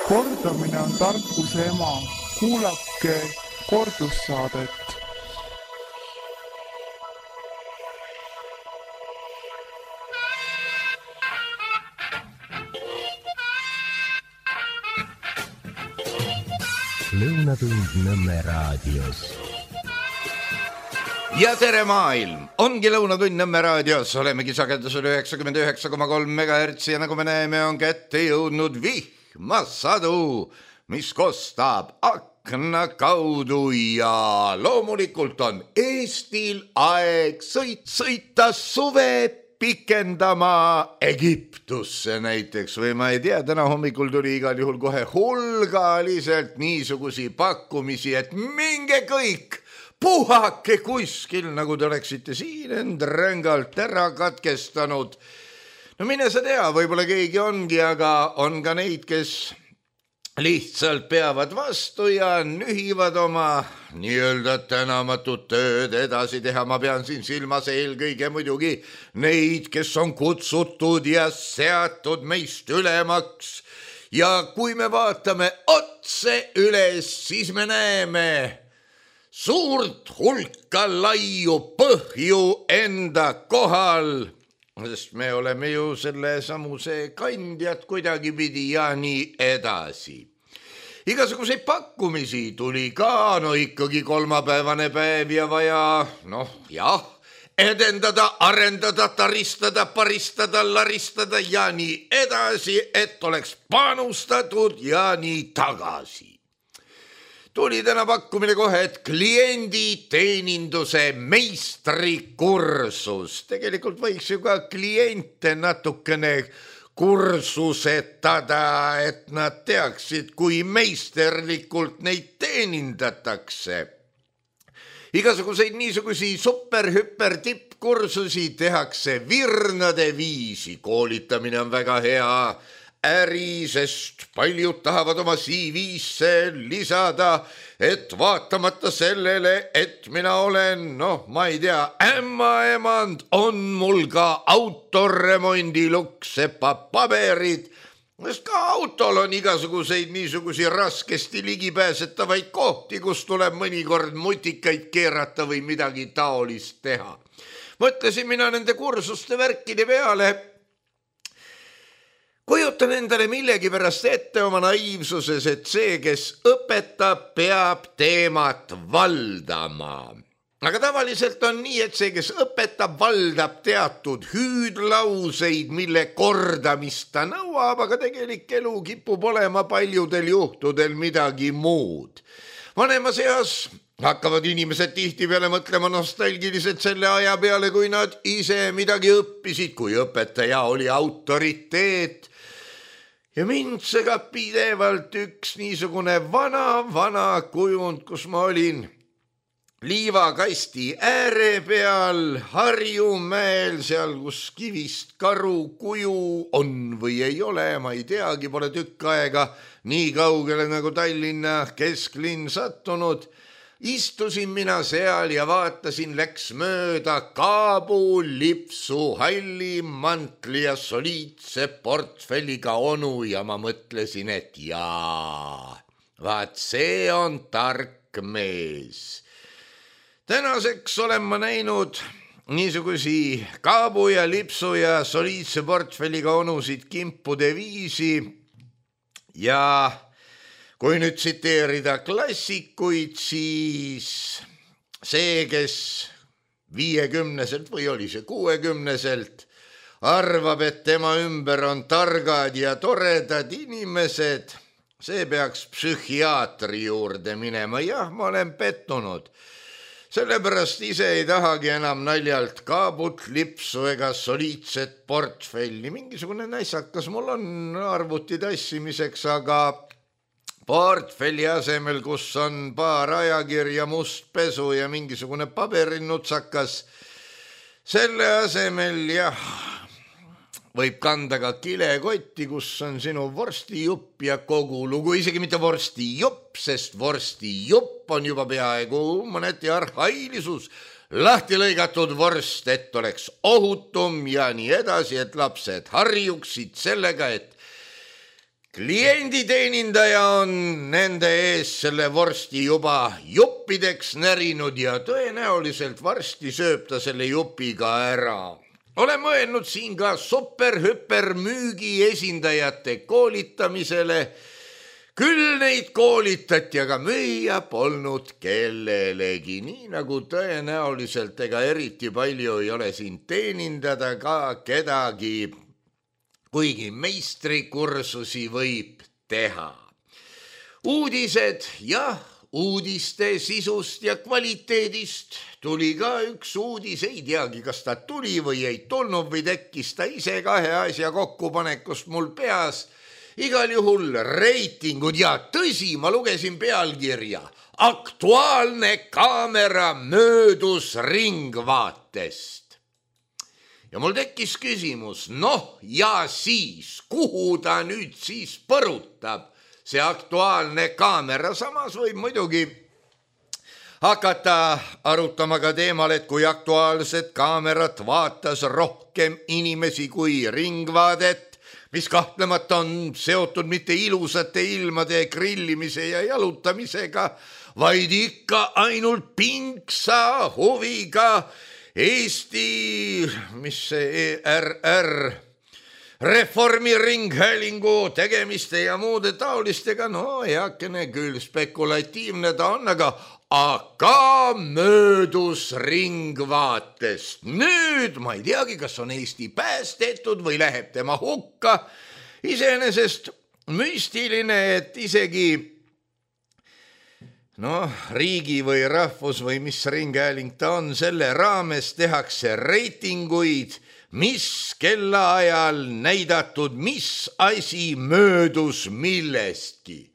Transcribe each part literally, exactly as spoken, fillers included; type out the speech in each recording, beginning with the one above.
Kordamine on tarkuse ema. Kuulake kordussaadet. Lõunatund Nõmme raadios. Ja tere maailm! Ongi Lõunatund Nõmme raadios. Olemegi sagedusel üheksakümmend üheksa koma kolm megahertsi ja nagu me näeme, on kätte jõudnud vihmasadu, mis kostab akna kaudu ja loomulikult on Eestil aeg sõit, sõita suve pikendama Egiptusse näiteks või ma ei tea, täna hommikul tuli igal juhul kohe hulgaliselt niisugusi pakkumisi, et minge kõik, puhake kuskil, nagu te oleksite siin end rängalt ära katkestanud. No mine sa tea, võib-olla keegi ongi, aga on ka neid, kes lihtsalt peavad vastu ja nühivad oma nii-öelda tänamatut tööd edasi teha. Ma pean siin silmas eelkõige muidugi neid, kes on kutsutud ja seatud meist ülemaks. Ja kui me vaatame otse üles, siis me näeme suurt hulka laiu põhju enda kohal, sest me oleme ju selle samuse kandjad kuidagi pidi ja nii edasi. Igasuguseid pakkumisi tuli ka, no ikkagi kolmapäevane päev ja vaja, noh jah, edendada, arendada, taristada, paristada, laristada ja nii edasi, et oleks panustatud ja nii tagasi. Tuli täna pakkumine kohe, et klienditeeninduse meistrikursus. Tegelikult võiks ju ka kliente natukene kursusetada, et nad teaksid, kui meisterlikult neid teenindatakse. Igasuguseid niisugusi super-hüper tippkursusi tehakse virnade viisi. Koolitamine on väga hea äri, sest paljud tahavad oma C V-sse lisada, et vaatamata sellele, et mina olen, noh, ma ei tea, ämmaemand, on mul ka autoremondi luksepa paberid, sest ka autol on igasuguseid niisugusi raskesti ligipääsetavaid kohti, kus tuleb mõnikord mutikaid keerata või midagi taolist teha. Mõtlesin mina nende kursuste värkide peale, kujutan endale millegi pärast ette oma naiivsuses, et see, kes õpetab, peab teemat valdama. Aga tavaliselt on nii, et see, kes õpetab, valdab teatud hüüdlauseid, mille kordamist ta nõuab, aga tegelik elu kipub olema paljudel juhtudel midagi muud. Vanemas eas hakkavad inimesed tihti peale mõtlema nostalgiliselt selle aja peale, kui nad ise midagi õppisid, kui õpetaja oli autoriteet. Ja mind segab pidevalt üks niisugune vana, vana kujund, kus ma olin liivakasti ääre peal Harjumäel, seal kus kivist karu kuju on või ei ole, ma ei teagi, pole tükk aega nii kaugele nagu Tallinna kesklinn sattunud. Istusin mina seal ja vaatasin, läks mööda Kaabu, lipsu, halli, mantli ja soliidse portfelliga onu ja ma mõtlesin, et jaa, vaat see on tark mees. Tänaseks olen ma näinud niisugusi Kaabu ja lipsu ja soliidse portfelliga onusid kimpude viisi ja kui nüüd tsiteerida klassikuid, siis see, kes viiekümneselt või oli see kuuekümneselt, arvab, et tema ümber on targad ja toredad inimesed, see peaks psühhiaatri juurde minema. Jah, ma olen pettunud. Sellepärast ise ei tahagi enam naljalt Kaabut, lipsu ega soliidset portfelli. Mingisugune näissakas mul on arvuti tassimiseks, aga portfelli asemel, kus on paar ajakirja, must pesu ja mingisugune paberinnutsakas, selle asemel jah, võib kanda ka kilekotti, kus on sinu vorstijupp ja kogu lugu, isegi mitte vorstijupp, sest vorstijupp on juba peaaegu mõneti arhailisus, lahti lõigatud vorst, et oleks ohutum ja nii edasi, et lapsed harjuksid sellega, et klienditeenindaja on nende ees selle vorsti juba juppideks närinud ja tõenäoliselt varsti sööb ta selle jupi ka ära. Olen mõelnud siin ka super-hüper müügi esindajate koolitamisele. Küll neid koolitati, aga müüa polnud kellelegi, nii nagu tõenäoliselt ega eriti palju ei ole siin teenindada ka kedagi, kuigi meistrikursusi võib teha. Uudised, jah, uudiste sisust ja kvaliteedist tuli ka üks uudis, ei teagi, kas ta tuli või ei tulnud või tekkis ta ise kahe asja kokkupanekust mul peas. Igal juhul reitingud ja tõsi, ma lugesin pealkirja. Aktuaalne kaamera möödus ringvaatest. Ja mul tekkis küsimus, noh ja siis, kuhu ta nüüd siis põrutab? See aktuaalne kaamera, samas võib muidugi hakata arutama ka teemal, et kui aktuaalset kaamerat vaatas rohkem inimesi kui ringvaadet, mis kahtlemata on seotud mitte ilusate ilmade grillimise ja jalutamisega, vaid ikka ainult pingsa huviga Eesti, mis see E R R, Reformiringhäälingu tegemiste ja muude taolistega, no heakene küll spekulatiivne ta on, aga aga möödus ringvaatest. Nüüd ma ei teagi, kas on Eesti päästetud või läheb tema hukka. Iseenesest müstiline, et isegi no, riigi või rahvus või mis ringhääling ta on, selle raames tehakse reitinguid, mis kellaajal näidatud, mis asi möödus millestki.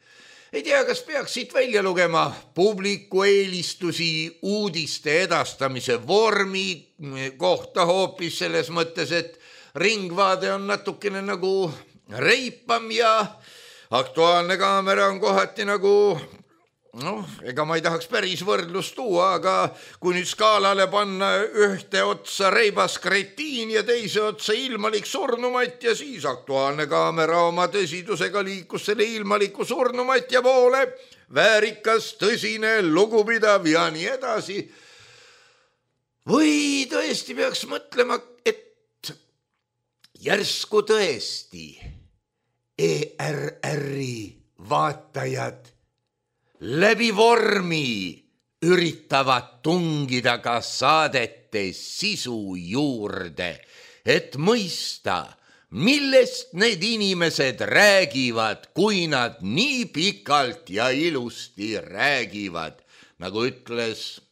Ei tea, kas peaks siit välja lugema publiku eelistusi uudiste edastamise vormi kohta hoopis selles mõttes, et ringvaade on natukene nagu reipam ja aktuaalne kaamera on kohati nagu, noh, ega ma ei tahaks päris võrdlust tuua, aga kui nüüd skaalale panna ühte otsa reibas kretiin ja teise otsa ilmalik surnumatja, siis aktuaalne kaamera oma tõsidusega liikus selle ilmaliku surnumatja poole, väärikas, tõsine, lugupidav ja nii edasi. Või tõesti peaks mõtlema, et järsku tõesti E R R-i vaatajad läbi vormi üritavad tungida ka saadete sisu juurde, et mõista, millest need inimesed räägivad, kui nad nii pikalt ja ilusti räägivad, nagu ütles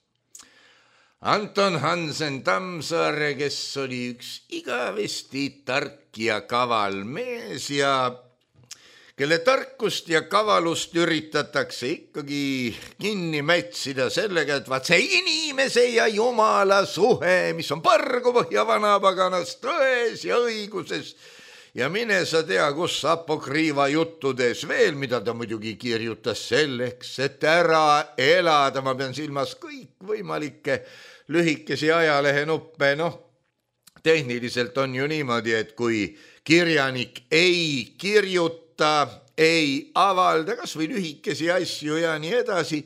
Anton Hansen Tammsaare, kes oli üks igavesti tark ja kaval mees ja kelle tarkust ja kavalust üritatakse ikkagi kinni mätsida sellega, et vaat see inimese ja jumala suhe, mis on pargu põhja vanapaganas tões ja õiguses ja mine sa tea, kus apokriiva juttudes veel, mida ta muidugi kirjutas selleks, et ära elada, ma pean silmas kõikvõimalikke lühikesi ajalehenuppe, noh, tehniliselt on ju niimoodi, et kui kirjanik ei kirjuta, ei avalda kas või lühikesi asju ja nii edasi,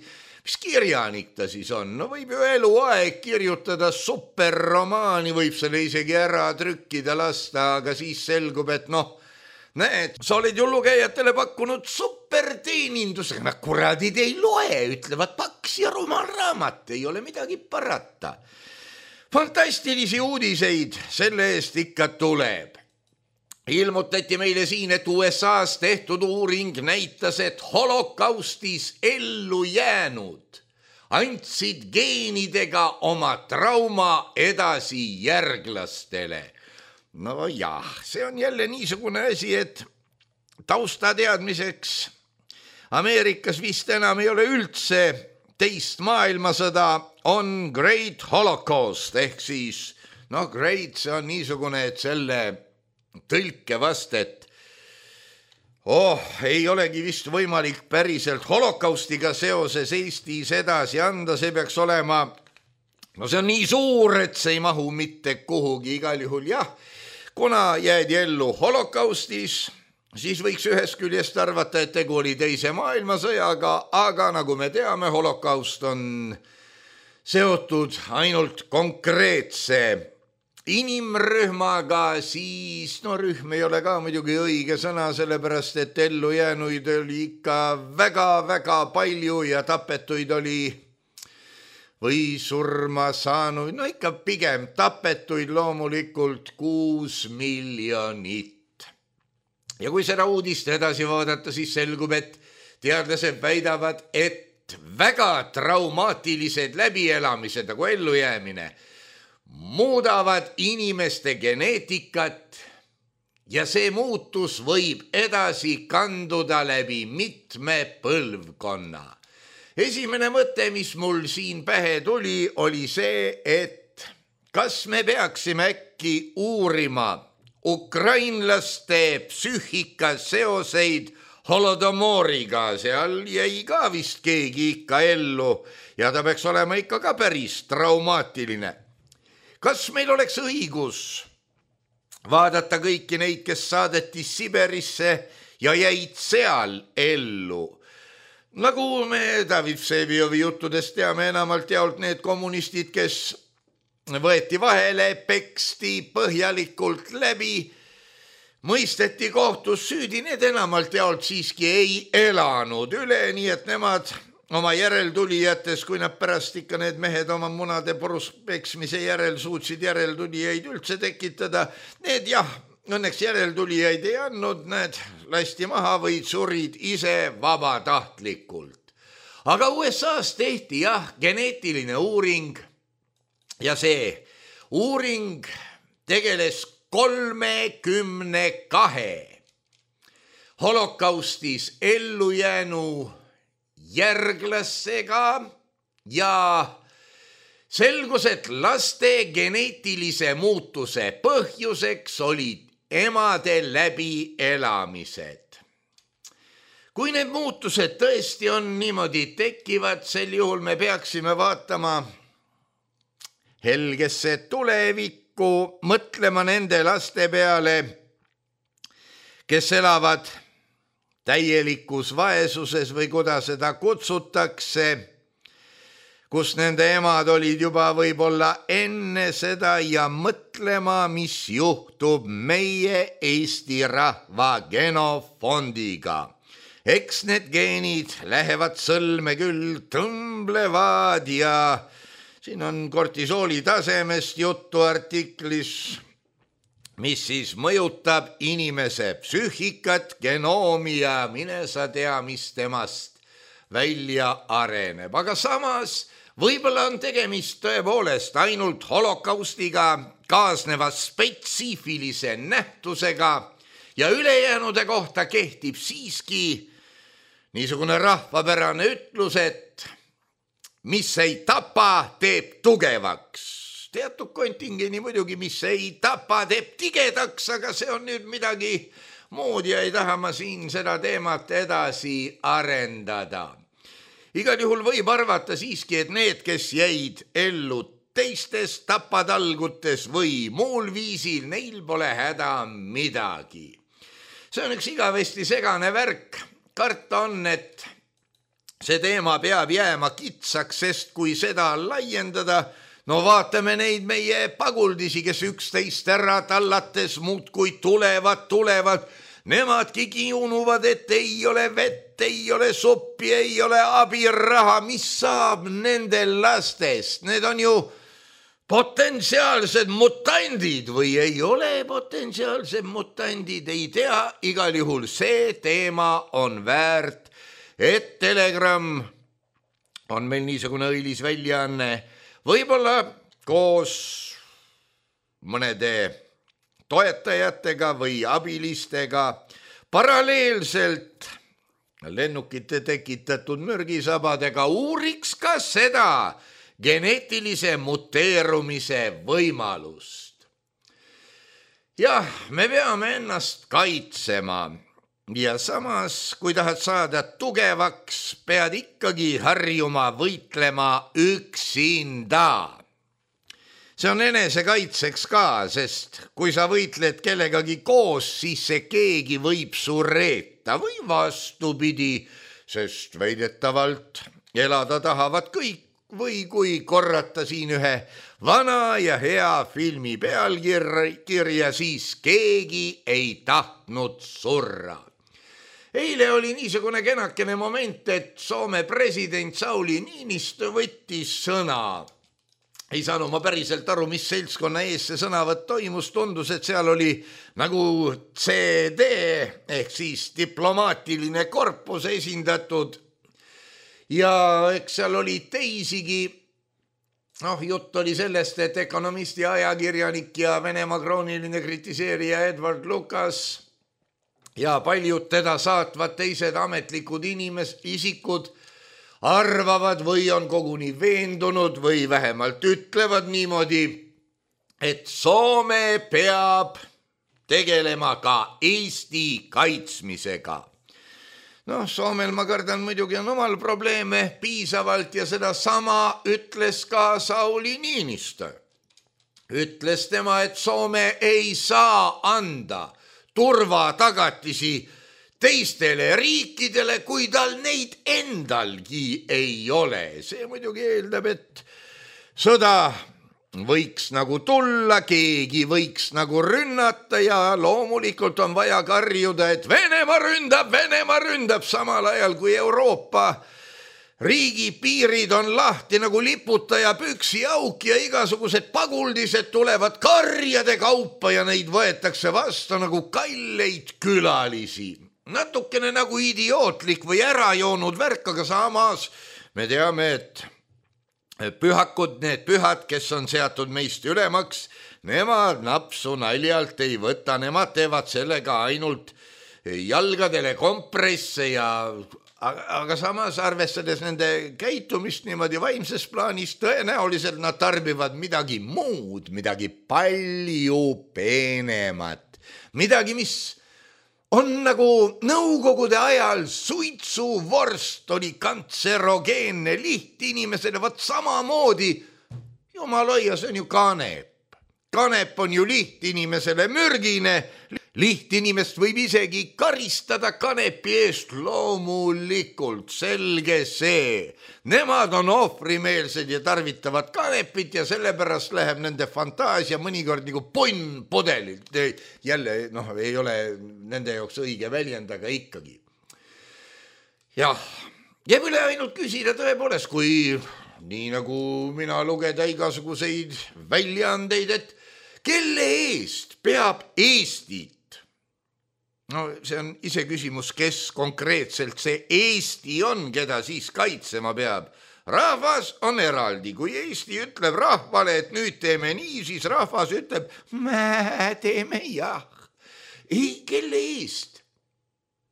mis kirjanik ta siis on? No võib ju eluaeg kirjutada superromaani, võib selle isegi ära trükkida lasta, aga siis selgub, et noh, näed, sa oled ju lugejatele pakkunud superteenindusega, nad kuradid ei loe, ütlevad paks ja rumal raamat, ei ole midagi parata. Fantastilisi uudiseid selle eest ikka tuleb. Ilmutati meile siin, et U S A-s tehtud uuring näitas, et holokaustis ellu jäänud andsid geenidega oma trauma edasi järglastele. No jah, see on jälle niisugune asi, et taustateadmiseks Ameerikas vist enam ei ole üldse teist maailmasõda, on Great Holocaust, ehk siis, noh, great, see on niisugune, et selle tõlke vast, et oh, ei olegi vist võimalik päriselt holokaustiga seoses Eestis edasi anda, see peaks olema, no see on nii suur, et see ei mahu mitte kuhugi, igal juhul jah, kuna jäädi ellu holokaustis, siis võiks ühest küljest arvata, et tegu oli teise maailmasõjaga, aga nagu me teame, holokaust on seotud ainult konkreetse inimrühmaga, siis no rühm ei ole ka muidugi õige sõna, sellepärast et ellujäänuid oli ikka väga-väga palju ja tapetuid oli või surma saanud, no ikka pigem tapetuid loomulikult kuus miljonit. Ja kui seda uudist edasi vaadata, siis selgub, et teadlased väidavad, et väga traumaatilised läbielamised nagu ellujäämine muudavad inimeste geneetikat ja see muutus võib edasi kanduda läbi mitme põlvkonna. Esimene mõte, mis mul siin pähe tuli, oli see, et kas me peaksime äkki uurima ukrainlaste psüühika seoseid holodomoriga, seal jäi ka vist keegi ikka ellu ja ta peaks olema ikka ka päris traumaatiline. Kas meil oleks õigus vaadata kõiki neid, kes saadeti Siberisse ja jäid seal ellu? Nagu me David Vseviovi juttudest teame, enamalt jaolt need kommunistid, kes võeti vahele, peksti põhjalikult läbi, mõisteti kohtus süüdi, need enamalt jaolt siiski ei elanud üle, nii et nemad oma järeltulijates, kui nad pärast ikka need mehed oma munade porus peksmise järel suutsid järeltulijaid üldse tekitada, need jah, õnneks järeltulijaid ei andnud, need lasti maha või surid ise vabatahtlikult. Aga U S A-s tehti jah geneetiline uuring ja see uuring tegeles kolmekümne kahe holokaustis ellujäänu järglasega ja selgus, et laste geneetilise muutuse põhjuseks olid emade läbielamised. Kui need muutused tõesti on niimoodi tekivad, sel juhul me peaksime vaatama helgesse tulevikku, mõtlema nende laste peale, kes elavad täielikus vaesuses või kuidas seda kutsutakse, kus nende emad olid juba võib-olla enne seda ja mõtlema, mis juhtub meie Eesti rahva genofondiga. Eks need geenid lähevad sõlme küll, tõmblevad ja siin on kortisooli tasemest juttu artiklis, mis siis mõjutab inimese psüühikat, genoomi ja mine sa tea, mis temast välja areneb. Aga samas võib-olla on tegemist tõepoolest ainult holokaustiga kaasneva spetsiifilise nähtusega ja ülejäänude kohta kehtib siiski niisugune rahvapärane ütlus, et mis ei tapa, teeb tugevaks. Teatud kontingeni muidugi, mis ei tapa, teeb tigedaks, aga see on nüüd midagi muud ja ei taha ma siin seda teemat edasi arendada. Igal juhul võib arvata siiski, et need, kes jäid ellu teistes tapatalgutes või muul viisil, neil pole häda midagi. See on üks igavesti segane värk. Karta on, et see teema peab jääma kitsaks, sest kui seda laiendada, no vaatame neid meie paguldisi, kes üksteist ära tallates muudkui tulevad, tulevad. Nemadki kiunuvad, et ei ole vett, ei ole suppi, ei ole abiraha. Mis saab nendel lastest? Need on ju potentsiaalsed mutandid või ei ole potentsiaalsed mutandid, ei tea. Igal juhul see teema on väärt, et Telegram on meil niisugune õilis väljaanne, võib-olla koos mõnede toetajatega või abilistega paralleelselt lennukite tekitatud mürgisabadega uuriks ka seda geneetilise muteerumise võimalust. Jah, me peame ennast kaitsema ja samas, kui tahad saada tugevaks, pead ikkagi harjuma võitlema üksinda. see on enesekaitseks ka, sest kui sa võitled kellegagi koos, siis see keegi võib su reeta või vastupidi, sest väidetavalt elada tahavad kõik või kui korrata siin ühe vana ja hea filmi pealkirja, siis keegi ei tahtnud surra. Eile oli niisugune kenakene moment, et Soome president Sauli Niinistö võttis sõna. Ei saanud ma päriselt aru, mis seltskonna ees see sõnavõtt toimus, tundus, et seal oli nagu C D ehk siis diplomaatiline korpus esindatud ja eks seal oli teisigi. Noh, jutt oli sellest, et ökonomisti ajakirjanik ja Venemaa krooniline kritiseerija Edward Lucas ja paljud teda saatvad teised ametlikud inimes, isikud arvavad või on koguni veendunud või vähemalt ütlevad niimoodi, et Soome peab tegelema ka Eesti kaitsmisega. Noh, Soomel ma kardan muidugi on omal probleeme piisavalt ja seda sama ütles ka Sauli Niinistö. Ütles tema, et Soome ei saa anda turvatagatisi teistele riikidele, kui tal neid endalgi ei ole. See muidugi eeldab, et sõda võiks nagu tulla, keegi võiks nagu rünnata ja loomulikult on vaja karjuda, et Venemaa ründab, Venemaa ründab samal ajal, kui Euroopa riigipiirid on lahti nagu liputaja püksi auk ja igasugused paguldised tulevad karjade kaupa ja neid võetakse vastu nagu kalleid külalisi. Natukene nagu idiootlik või ära joonud värk, aga samas me teame, et pühakud, need pühad, kes on seatud meist ülemaks, nemad napsu naljalt ei võta, nemad teevad sellega ainult jalgadele kompresse ja aga samas arvestades nende käitumist niimoodi vaimses plaanis tõenäoliselt nad tarbivad midagi muud, midagi palju peenemat, midagi, mis on nagu nõukogude ajal suitsuvorst oli kantserogeenne lihtinimesele, vaat samamoodi, jumaloia, see on ju kanep. Kanep on ju lihtinimesele mürgine, lihtinimest võib isegi karistada kanepi eest, loomulikult, selge see. Nemad on ohvrimeelsed ja tarvitavad kanepit ja sellepärast läheb nende fantaasia mõnikord nagu ponn podelilt. Jälle, noh, ei ole nende jaoks õige väljend, aga ikkagi. Jah, jääb üle ainult küsida tõepoolest, kui nii nagu mina lugeda igasuguseid väljaandeid, et kelle eest peab Eestit? No see on ise küsimus, kes konkreetselt see Eesti on, keda siis kaitsema peab. Rahvas on eraldi. Kui Eesti ütleb rahvale, et nüüd teeme nii, siis rahvas ütleb, me teeme jah. Ei, kelle eest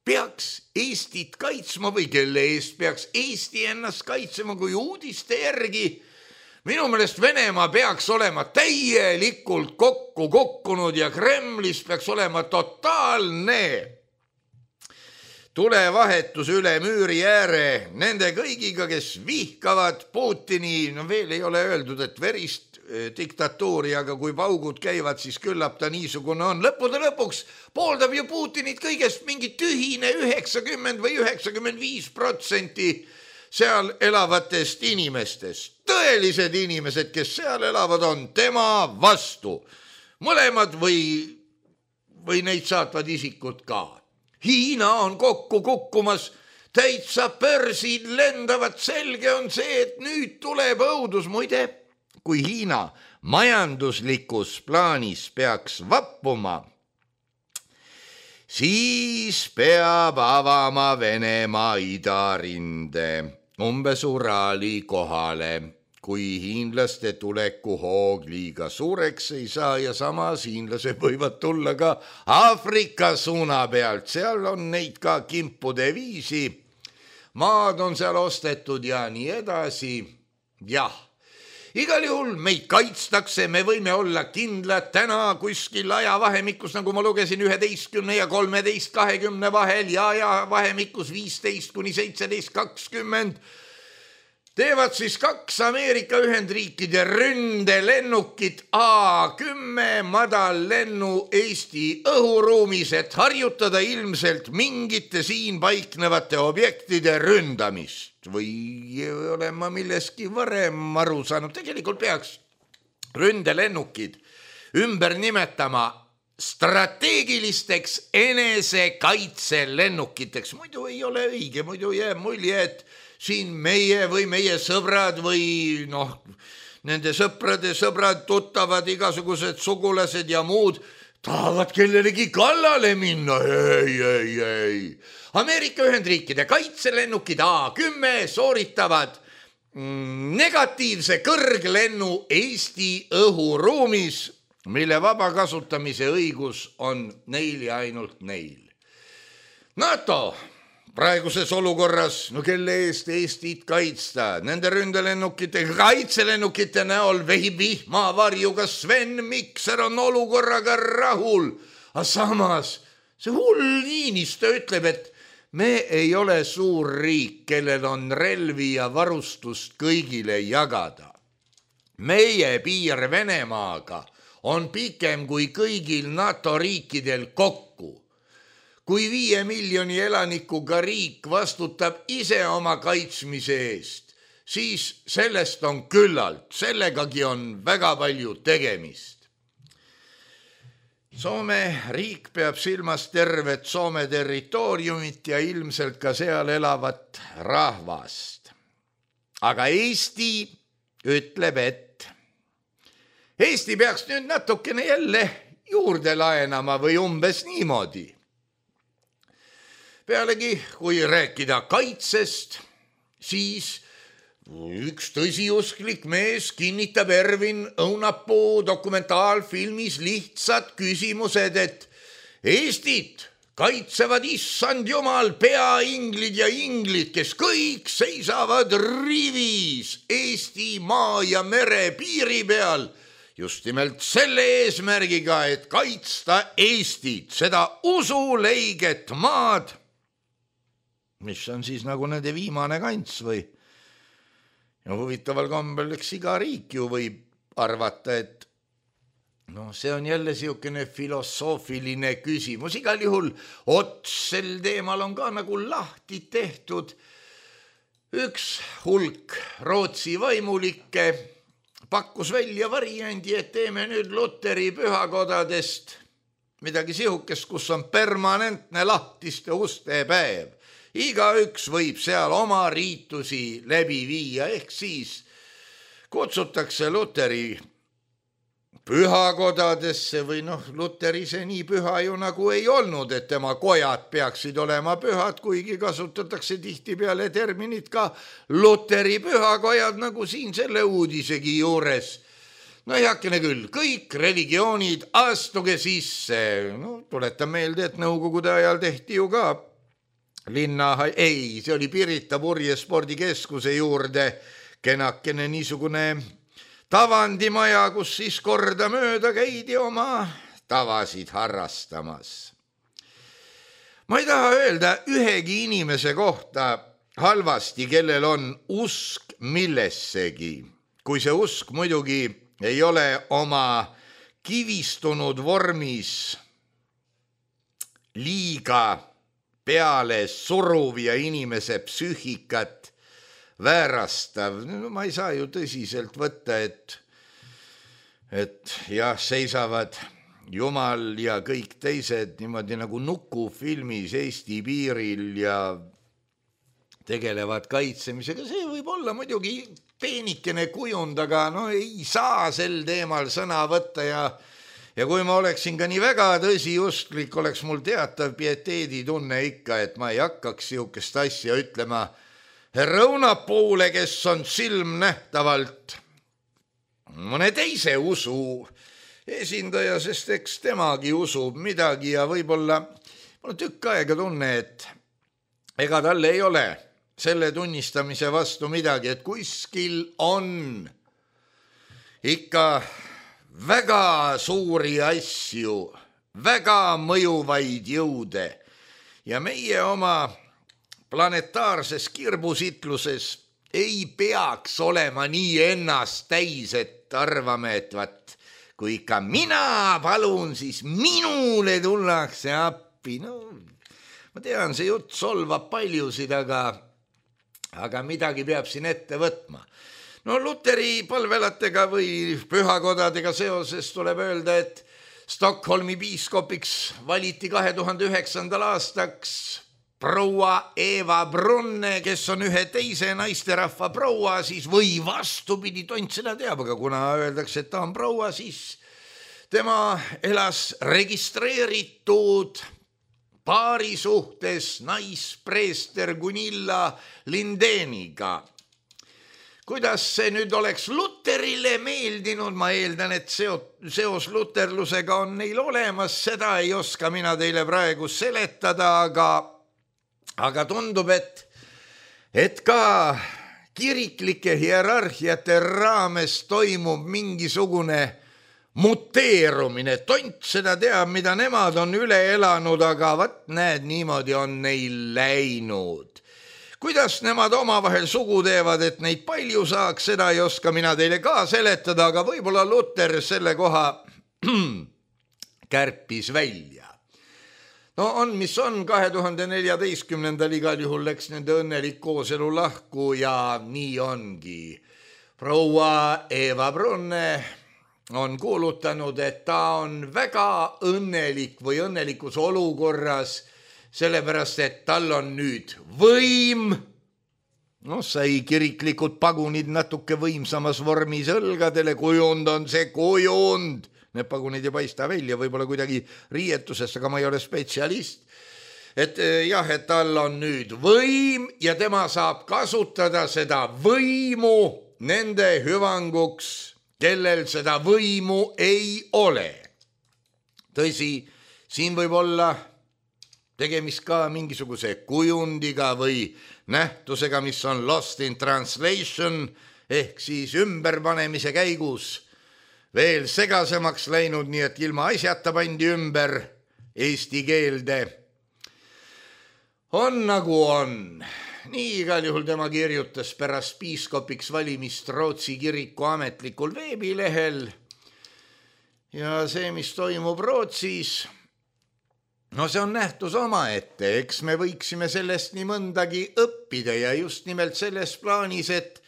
peaks Eestit kaitsma või kelle eest peaks Eesti ennast kaitsema, kui uudiste järgi minu meelest Venemaa peaks olema täielikult kokku kokkunud ja Kremlis peaks olema totaalne tulevahetus üle müüri ääre nende kõigiga, kes vihkavad Putini, no veel ei ole öeldud, et verist diktatuuri, aga kui paugud käivad, siis küllap ta niisugune on. Lõppude lõpuks pooldab ju Putinit kõigest mingi tühine üheksakümmend või üheksakümmend viis protsenti seal elavatest inimestest. Tõelised inimesed, kes seal elavad, on tema vastu. Mõlemad või, või neid saatvad isikud ka. Hiina on kokku kukkumas, täitsa börsid lendavad, selge on see, et nüüd tuleb õudus. Muide, kui Hiina majanduslikus plaanis peaks vappuma, siis peab avama Venemaa idarinde umbes Uraali kohale, kui hiinlaste tuleku hoog liiga suureks ei saa ja samas hiinlased võivad tulla ka Aafrika suuna pealt, seal on neid ka kimpude viisi, maad on seal ostetud ja nii edasi. Jah, igal juhul meid kaitstakse, me võime olla kindlad täna kuskil ajavahemikus, nagu ma lugesin üheteistkümne ja kolmeteist kahekümne vahel ja ajavahemikus viisteist kuni seitseteist kakskümmend. teevad siis kaks Ameerika Ühendriikide ründelennukit A kümme madallennu Eesti õhuruumis, et harjutada ilmselt mingite siin paiknevate objektide ründamist. Või olen ma milleski varem aru saanud, tegelikult peaks ründelennukid ümber nimetama strateegilisteks enesekaitselennukiteks. Muidu ei ole õige, muidu jääb mulje, et siin meie või meie sõbrad või noh, nende sõprade sõbrad, tuttavad, igasugused sugulased ja muud tahavad kellelegi kallale minna. Ei, ei, ei. Ameerika Ühendriikide kaitselennukid A kümme sooritavad negatiivse kõrglennu Eesti õhuruumis, mille vaba kasutamise õigus on neil ja ainult neil. NATO praeguses olukorras, no kelle eest Eestit kaitsta, nende ründelennukite, kaitselennukite näol vehib vihmavarjuga Sven Mikser on olukorraga rahul. Aga samas see hull Niinistö ütleb, et me ei ole suur riik, kellel on relvi ja varustust kõigile jagada. Meie piir Venemaaga on pikem kui kõigil NATO riikidel kokku. Kui viie miljoni elanikuga riik vastutab ise oma kaitsmise eest, siis sellest on küllalt, sellegagi on väga palju tegemist. Soome riik peab silmas tervet Soome territooriumit ja ilmselt ka seal elavat rahvast. Aga Eesti ütleb, et Eesti peaks nüüd natukene jälle juurde laenama või umbes niimoodi. Pealegi, kui rääkida kaitsest, siis üks tõsiusklik mees kinnitab Ervin Õunapuu dokumentaalfilmis lihtsad küsimused, et Eestit kaitsevad issand jumal peainglid ja inglid, kes kõik seisavad rivis Eesti maa ja mere piiri peal, just nimelt selle eesmärgiga, et kaitsta Eestit, seda usuleiget maad, mis on siis nagu nende viimane kants või ja huvitaval kombel, eks iga riik ju võib arvata, et no see on jälle siukene filosoofiline küsimus. Igal juhul ots sel teemal on ka nagu lahti tehtud. Üks hulk Rootsi vaimulikke pakkus välja variandi, et teeme nüüd Luteri pühakodadest midagi sihukest, kus on permanentne lahtiste uste päev. Igaüks võib seal oma riitusi läbi viia, ehk siis kutsutakse Luteri pühakodadesse või noh, Luter ise nii püha ju nagu ei olnud, et tema kojad peaksid olema pühad, kuigi kasutatakse tihtipeale terminit ka Luteri pühakojad, nagu siin selle uudisegi juures. No heakene küll, kõik religioonid astuge sisse. No, tuletan meelde, et nõukogude ajal tehti ju ka linna, ei, see oli Pirita purjespordikeskuse juurde kenakene niisugune tavandimaja, kus siis korda mööda käidi oma tavasid harrastamas. Ma ei taha öelda ühegi inimese kohta halvasti, kellel on usk millessegi, kui see usk muidugi ei ole oma kivistunud vormis liiga peale suruv ja inimese psüühikat väärastav. No, ma ei saa ju tõsiselt võtta, et, et jah, seisavad Jumal ja kõik teised niimoodi nagu nukufilmis Eesti piiril ja tegelevad kaitsemisega. See võib olla muidugi peenikene kujund, aga no ei saa sel teemal sõna võtta ja Ja kui ma oleksin ka nii väga tõsiustlik, oleks mul teatav pieteeditunne ikka, et ma ei hakkaks siukest asja ütlema härra Õunapuule, kes on silmnähtavalt mõne teise usu esindaja, sest eks temagi usub midagi ja võib-olla mul on tükk aega tunne, et ega talle ei ole selle tunnistamise vastu midagi, et kuskil on ikka väga suuri asju, väga mõjuvaid jõude ja meie oma planetaarses kirbusitluses ei peaks olema nii ennast täis, et arvame, et vat, kui ikka mina palun, siis minule tullakse appi. No, ma tean, see jutt solvab paljusid, aga, aga midagi peab siin ette võtma. No Luteri palvelatega või pühakodadega seoses tuleb öelda, et Stockholmi piiskopiks valiti kahe tuhande üheksandal aastaks proua Eva Brunne, kes on ühe teise naisterahva proua, siis või vastupidi, tont seda teab, aga kuna öeldakse, et ta on proua, siis tema elas registreeritud paari suhtes naispreester Gunilla Lindeniga. Kuidas see nüüd oleks Luterile meeldinud, ma eeldan, et seos luterlusega on neil olemas, seda ei oska mina teile praegu seletada, aga, aga tundub, et, et ka kiriklike hierarhiate raames toimub mingisugune muteerumine. Tont seda teab, mida nemad on üle elanud, aga vat näed, niimoodi on neil läinud. Kuidas nemad omavahel sugu teevad, et neid palju saaks, seda ei oska mina teile ka seletada, aga võib-olla Luter selle koha kärpis välja. No on, mis on, kahe tuhande neljateistkümnendal igal juhul läks nende õnnelik kooselu lahku ja nii ongi. Proua Eva Brunne on kuulutanud, et ta on väga õnnelik või õnnelikus olukorras, sellepärast, et tal on nüüd võim, no sai kiriklikud pagunid natuke võimsamas vormis õlgadele, kujund on see kujund, need pagunid ei paista välja, võib-olla kuidagi riietusest, aga ma ei ole spetsialist, et jah, et tal on nüüd võim ja tema saab kasutada seda võimu nende hüvanguks, kellel seda võimu ei ole. Tõsi, siin võib olla tegemist ka mingisuguse kujundiga või nähtusega, mis on lost in translation ehk siis ümberpanemise käigus veel segasemaks läinud, nii et ilma asjata pandi ümber eesti keelde. On nagu on. Nii igal juhul tema kirjutas pärast piiskopiks valimist Rootsi kiriku ametlikul veebilehel ja see, mis toimub Rootsis, no see on nähtus omaette, eks me võiksime sellest nii mõndagi õppida ja just nimelt selles plaanis, et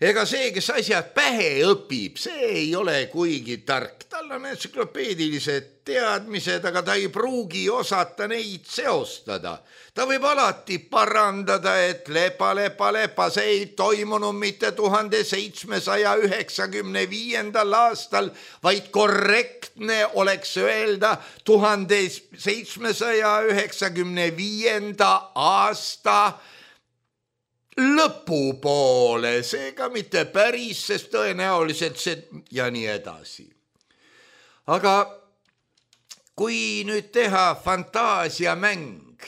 ega see, kes asjad pähe õpib, see ei ole kuigi tark. Tal on entsüklopeedilised teadmised, aga ta ei pruugi osata neid seostada. Ta võib alati parandada, et lepa, lepa, lepa, see ei toimunud mitte tuhande seitsmesaja üheksakümne viiendal aastal, vaid korrektne oleks öelda tuhande seitsmesaja üheksakümne viienda aasta lõpupoole, seega mitte päris, sest tõenäoliselt see ja nii edasi. Aga kui nüüd teha fantaasiamäng,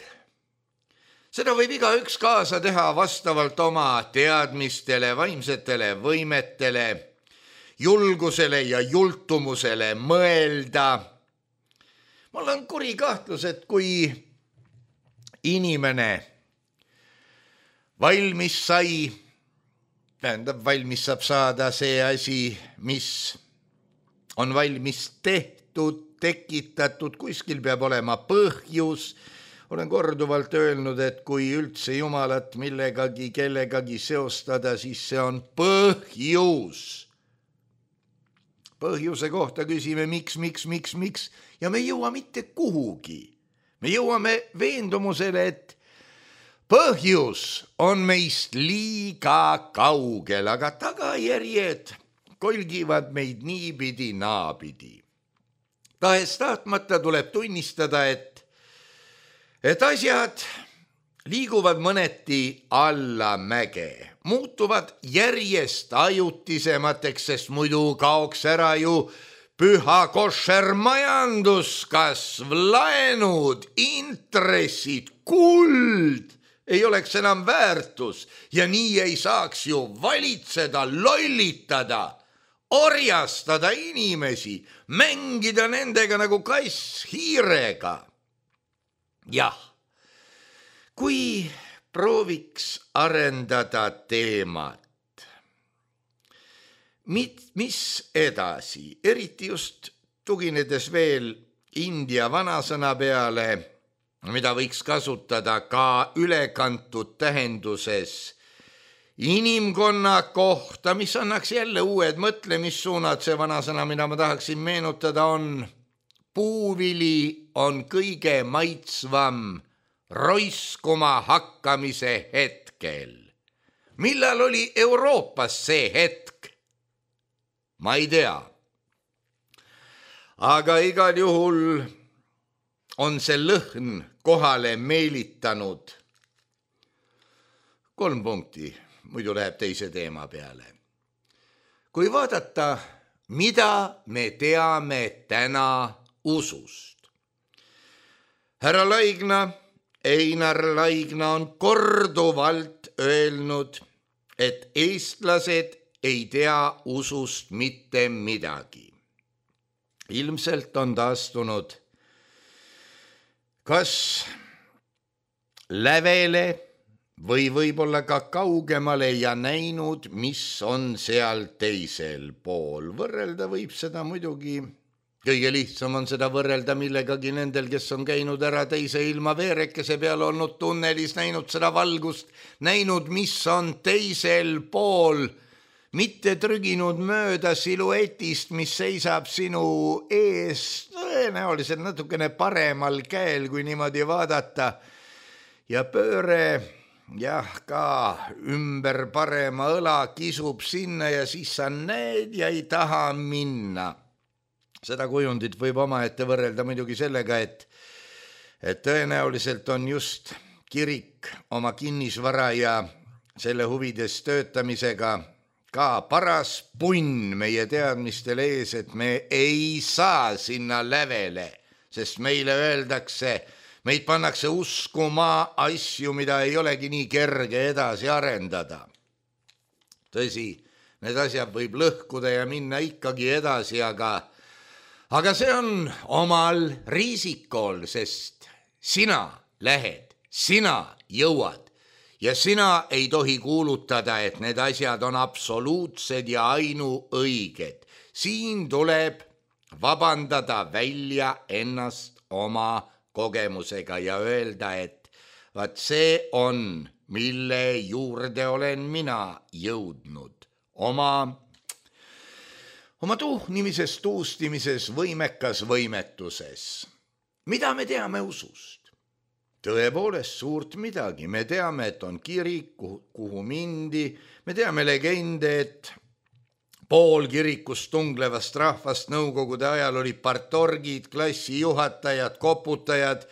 seda võib igaüks kaasa teha vastavalt oma teadmistele, vaimsetele võimetele, julgusele ja jultumusele mõelda. Mul on kuri kahtlus, et kui inimene valmis sai, tähendab, valmis saab saada see asi, mis on valmis tehtud, tekitatud, kuskil peab olema põhjus. Olen korduvalt öelnud, et kui üldse Jumalat millegagi, kellegagi seostada, siis see on põhjus. Põhjuse kohta küsime miks, miks, miks, miks ja me ei jõua mitte kuhugi. Me jõuame veendumusele, et põhjus on meist liiga kaugel, aga tagajärjed kolgivad meid niipidi naapidi. Tahes tahtmata tuleb tunnistada, et, et asjad liiguvad mõneti allamäge, muutuvad järjest ajutisemateks, sest muidu kaoks ära ju püha košer majanduskasv, laenud, intressid, kuld ei oleks enam väärtus ja nii ei saaks ju valitseda, lollitada, orjastada inimesi, mängida nendega nagu kass hiirega. Jah, kui prooviks arendada teemat, mis edasi, eriti just tuginedes veel India vanasõna peale, mida võiks kasutada ka ülekantud tähenduses inimkonna kohta, mis annaks jälle uued mõtlemissuunad. See vanasõna, mida ma tahaksin meenutada, on puuvili on kõige maitsvam roiskuma hakkamise hetkel. Millal oli Euroopas see hetk? Ma ei tea. Aga igal juhul on see lõhn kohale meelitanud kolm punkti, muidu läheb teise teema peale. Kui vaadata, mida me teame täna usust. Härra Laigna, Einar Laigna on korduvalt öelnud, et eestlased ei tea usust mitte midagi. Ilmselt on ta astunud kas lävele või võib-olla ka kaugemale ja näinud, mis on seal teisel pool. Võrrelda võib seda muidugi, kõige lihtsam on seda võrrelda millegagi nendel, kes on käinud ära teise ilma veerekese peal, olnud tunnelis, näinud seda valgust, näinud, mis on teisel pool, mitte trüginud mööda siluetist, mis seisab sinu ees tõenäoliselt natukene paremal käel, kui niimoodi vaadata. Ja pööre, jah, ka ümber parema õla kisub sinna ja siis sa näed ja ei taha minna. Seda kujundit võib omaette võrrelda muidugi sellega, et, et tõenäoliselt on just kirik oma kinnisvara ja selle huvides töötamisega ka paras punn meie teadmistel ees, et me ei saa sinna lävele, sest meile öeldakse, meid pannakse uskuma asju, mida ei olegi nii kerge edasi arendada. Tõsi, need asjad võib lõhkuda ja minna ikkagi edasi, aga, aga see on omal riisikol, sest sina lähed, sina jõuad. Ja sina ei tohi kuulutada, et need asjad on absoluutsed ja ainuõiged. Siin tuleb vabandada välja ennast oma kogemusega ja öelda, et vaat see on, mille juurde olen mina jõudnud. Oma, oma tuhnimises, tuustimises, võimekas võimetuses. Mida me teame usust? Tõepoolest suurt midagi. Me teame, et on kirik, kuhu, kuhu mindi. Me teame legende, et pool kirikust tunglevast rahvast nõukogude ajal oli partorgid, klassijuhatajad, koputajad,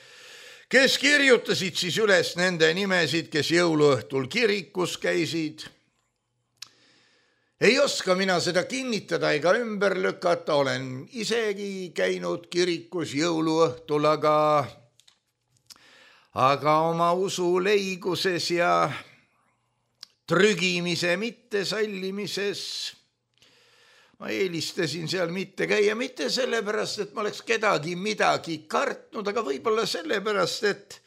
kes kirjutasid siis üles nende nimesid, kes jõuluõhtul kirikus käisid. Ei oska mina seda kinnitada ega ümber lükata. Olen isegi käinud kirikus jõuluõhtul, aga... aga oma usu leiguses ja trügimise mittesallimises ma eelistasin seal mitte käia, mitte sellepärast, et ma oleks kedagi midagi kartnud, aga võib-olla sellepärast, et,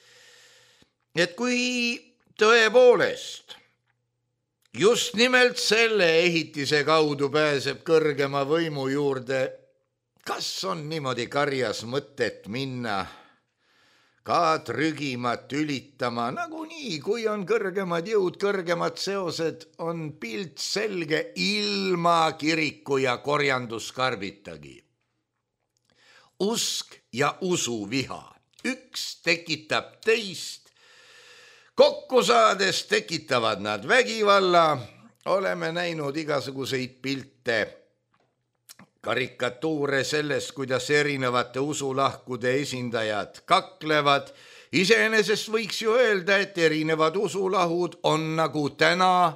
et kui tõepoolest just nimelt selle ehitise kaudu pääseb kõrgema võimu juurde, kas on niimoodi karjas mõtet minna ka trügimat ülitama, nagunii, kui on kõrgemad jõud, kõrgemad seosed, on pilt selge ilma kiriku ja korjanduskarbitagi. Usk ja usuviha, üks tekitab teist, kokku saades tekitavad nad vägivalla, oleme näinud igasuguseid pilte, karikatuure sellest, kuidas erinevate usulahkude esindajad kaklevad. Iseenesest võiks ju öelda, et erinevad usulahud on nagu täna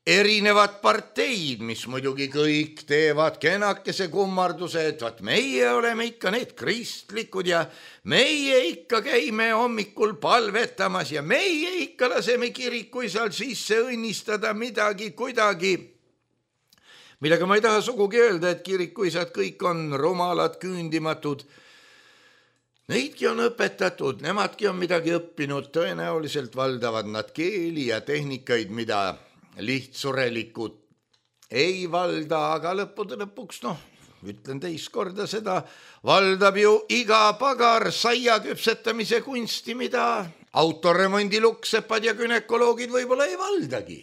erinevad parteid, mis muidugi kõik teevad kenakese kummarduse, et vaat meie oleme ikka need kristlikud ja meie ikka käime hommikul palvetamas ja meie ikka laseme kirikuisal sisse õnnistada midagi kuidagi. Millega ma ei taha sugugi öelda, et kirikuisad kõik on rumalad, küündimatud. Neidki on õpetatud, nemadki on midagi õppinud, tõenäoliselt valdavad nad keeli ja tehnikaid, mida lihtsurelikud ei valda, aga lõppude lõpuks, noh, ütlen teist korda seda, valdab ju iga pagar saia küpsetamise kunsti, mida autoremondi luksepad ja günekoloogid võib-olla ei valdagi.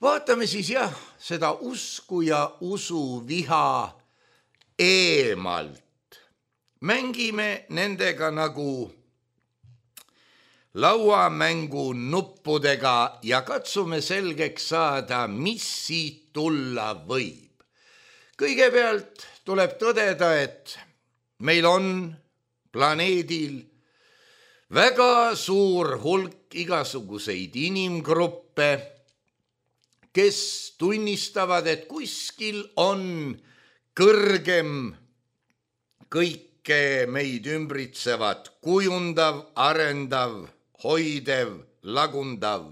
Vaatame siis jah, seda usku ja usuviha eemalt. Mängime nendega nagu lauamängu nuppudega ja katsume selgeks saada, mis siit tulla võib. Kõigepealt tuleb tõdeda, et meil on planeedil väga suur hulk igasuguseid inimgruppe, kes tunnistavad, et kuskil on kõrgem kõike meid ümbritsevat, kujundav, arendav, hoidev, lagundav.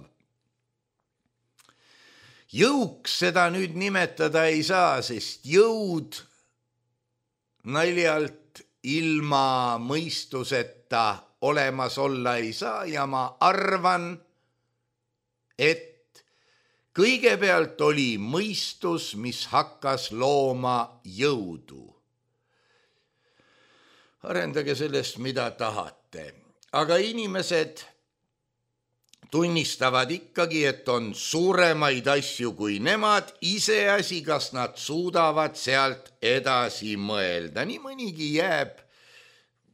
Jõuks seda nüüd nimetada ei saa, sest jõud naljalt ilma mõistuseta olemas olla ei saa ja ma arvan, et kõigepealt oli mõistus, mis hakkas looma jõudu. Arendage sellest, mida tahate, aga inimesed tunnistavad ikkagi, et on suuremaid asju kui nemad, iseasi, kas nad suudavad sealt edasi mõelda. Nii mõnigi jääb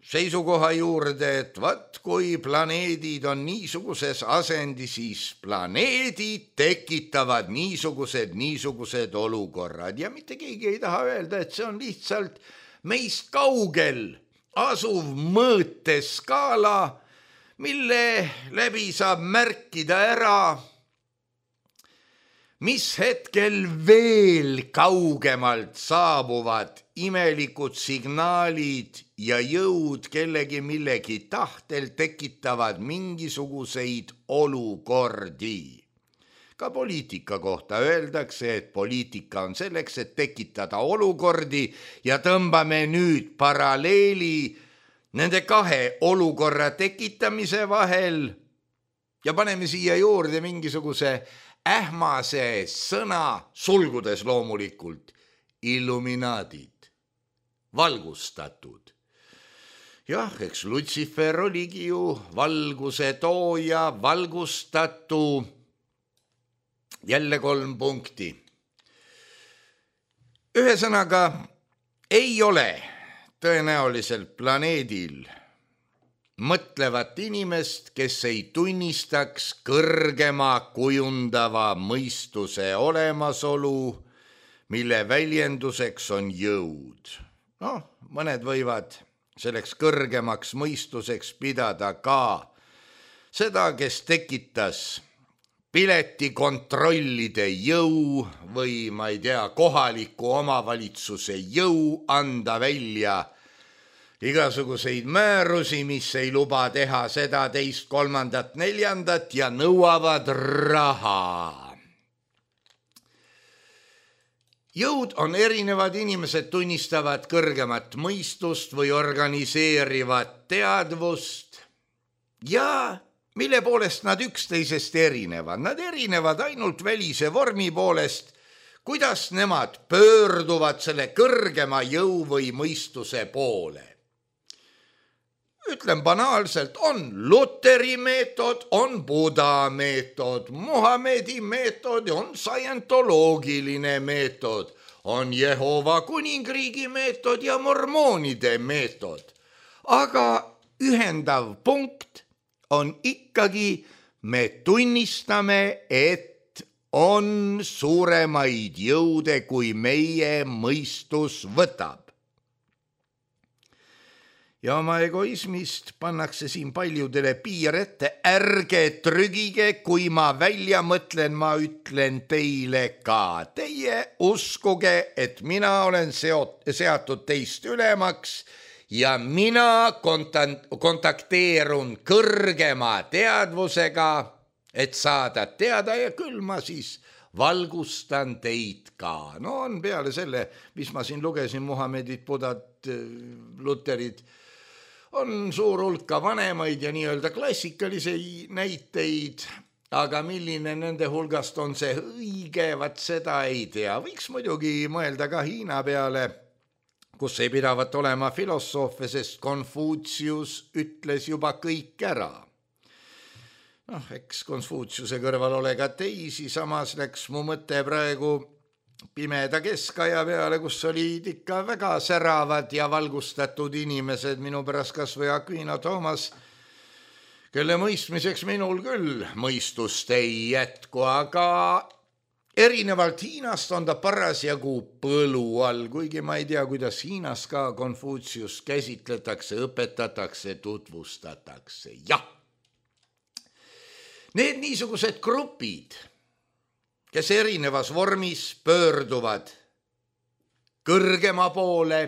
seisukoha juurde, et vat, kui planeedid on niisuguses asendi, siis planeedid tekitavad niisugused, niisugused olukorrad ja mitte keegi ei taha öelda, et see on lihtsalt meist kaugel asuv mõõteskaala, mille läbi saab märkida ära, mis hetkel veel kaugemalt saabuvad imelikud signaalid ja jõud kellegi millegi tahtel tekitavad mingisuguseid olukordi. Ka poliitika kohta öeldakse, et poliitika on selleks, et tekitada olukordi ja tõmbame nüüd paralleeli nende kahe olukorra tekitamise vahel ja paneme siia juurde mingisuguse ähmase sõna, sulgudes loomulikult, illuminaadid, valgustatud. Jah, eks Lutsifer oligi ju valguse tooja, valgustatu, jälle kolm punkti. Ühesõnaga, ei ole tõenäoliselt planeedil mõtlevat inimest, kes ei tunnistaks kõrgema kujundava mõistuse olemasolu, mille väljenduseks on jõud. Noh, mõned võivad selleks kõrgemaks mõistuseks pidada ka seda, kes tekitas piletikontrollide jõu või ma ei tea, kohaliku omavalitsuse jõu anda välja igasuguseid määrusi, mis ei luba teha seda, teist, kolmandat, neljandat ja nõuavad raha. Jõud on erinevad, inimesed tunnistavad kõrgemat mõistust või organiseerivat teadvust ja mille poolest nad üksteisest erinevad. Nad erinevad ainult välise vormi poolest, kuidas nemad pöörduvad selle kõrgema jõu või mõistuse poole. Ütlen banaalselt, on Luteri meetod, on Buda meetod, Muhamedi meetod, on scientoloogiline meetod, on Jehova kuningriigi meetod ja mormoonide meetod. Aga ühendav punkt on ikkagi, me tunnistame, et on suuremaid jõude, kui meie mõistus võtab. Ja oma egoismist pannakse siin paljudele piir ette, ärge trügige, kui ma välja mõtlen, ma ütlen teile ka. Teie uskuge, et mina olen seot- seatud teist ülemaks ja mina kontakteerun kõrgema teadvusega, et saada teada ja küll ma siis valgustan teid ka. No on peale selle, mis ma siin lugesin, Muhamedit, Budat, Luterid, on suur hulka vanemaid ja nii-öelda klassikalisi näiteid, aga milline nende hulgast on see õige, vat seda ei tea. Võiks muidugi mõelda ka Hiina peale, kus ei pidavat olema filosoofe, sest Konfutsius ütles juba kõik ära. Noh, eks Konfutsiuse kõrval ole ka teisi, samas läks mu mõte praegu pimeda keskaja peale, kus olid ikka väga säravad ja valgustatud inimesed, minu pärast kas või Aquino Thomas, kelle mõistmiseks minul küll mõistust ei jätku, aga erinevalt Hiinast on ta parasjagu põlu all, kuigi ma ei tea, kuidas Hiinas ka Konfutsiust käsitletakse, õpetatakse, tutvustatakse. Jah, need niisugused grupid, kes erinevas vormis pöörduvad kõrgema poole,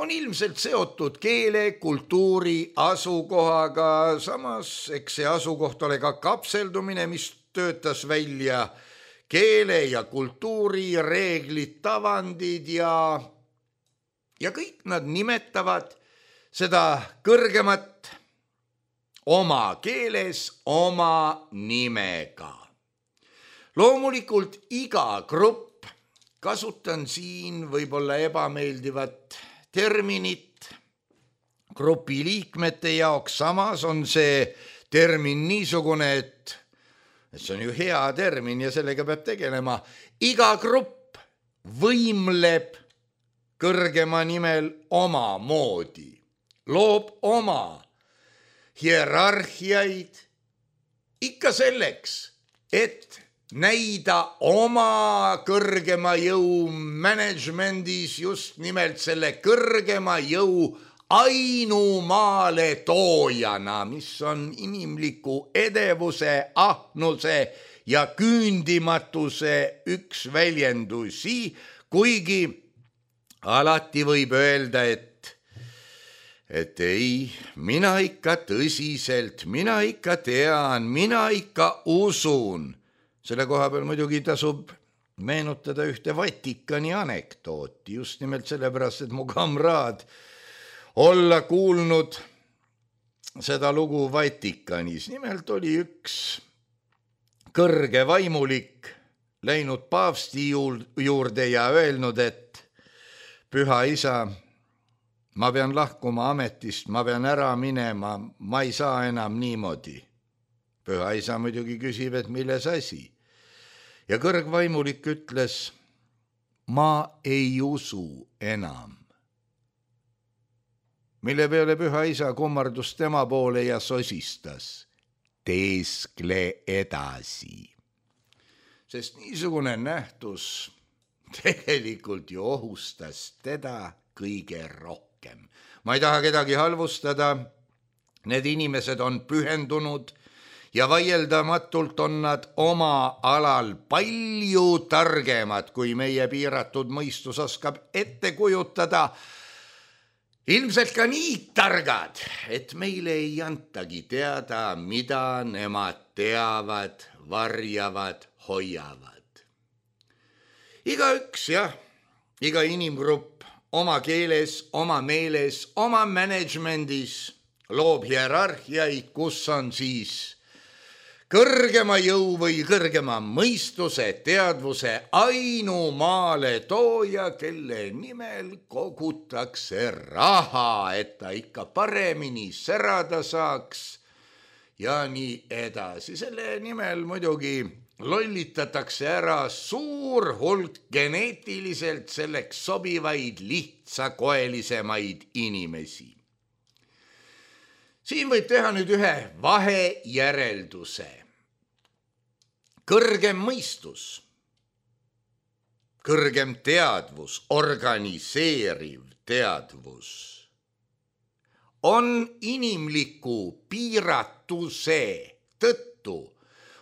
on ilmselt seotud keele, kultuuri, asukohaga, samas eks see asukoht ole ka kapseldumine, mis töötas välja keele ja kultuuri reeglid, tavandid ja, ja kõik nad nimetavad seda kõrgemat oma keeles, oma nimega. Loomulikult iga grupp, kasutan siin võib-olla ebameeldivat terminit grupi liikmete jaoks, samas on see termin niisugune, et, et see on ju hea termin ja sellega peab tegelema. Iga grupp võimleb kõrgema nimel oma moodi, loob oma hierarhiaid ikka selleks, et näida oma kõrgema jõu managemendis just nimelt selle kõrgema jõu ainumaale toojana, mis on inimliku edevuse, ahnuse ja küündimatuse üks väljendusi, kuigi alati võib öelda, et et ei, mina ikka tõsiselt, mina ikka tean, mina ikka usun. Selle koha peal muidugi tasub meenutada ühte Vatikani anekdooti, just nimelt sellepärast, et mu kamraad olla kuulnud seda lugu Vatikanis. Nimelt oli üks kõrge vaimulik läinud paavsti juurde ja öelnud, et püha isa, ma pean lahkuma ametist, ma pean ära minema, ma ei saa enam niimoodi. Püha isa muidugi küsib, et milles asi. Ja kõrgvaimulik ütles, ma ei usu enam. Mille peale püha isa kummardus tema poole ja sosistas, teeskle edasi. Sest niisugune nähtus tegelikult ju ohustas teda kõige rohkem. Ma ei taha kedagi halvustada, need inimesed on pühendunud ja vaieldamatult on nad oma alal palju targemad, kui meie piiratud mõistus oskab ette kujutada. Ilmselt ka nii targad, et meile ei antagi teada, mida nemad teavad, varjavad, hoiavad. Igaüks, jah, iga inimgrupp oma keeles, oma meeles, oma managemendis loob hierarhiaid, kus on siis kõrgema jõu või kõrgema mõistuse, teadvuse ainumaale tooja, kelle nimel kogutakse raha, et ta ikka paremini särada saaks ja nii edasi. Selle nimel muidugi lollitatakse ära suur hulk geneetiliselt selleks sobivaid lihtsakoelisemaid inimesi. Siin võib teha nüüd ühe vahejärelduse. Kõrgem mõistus, kõrgem teadvus, organiseeriv teadvus on inimliku piiratuse tõttu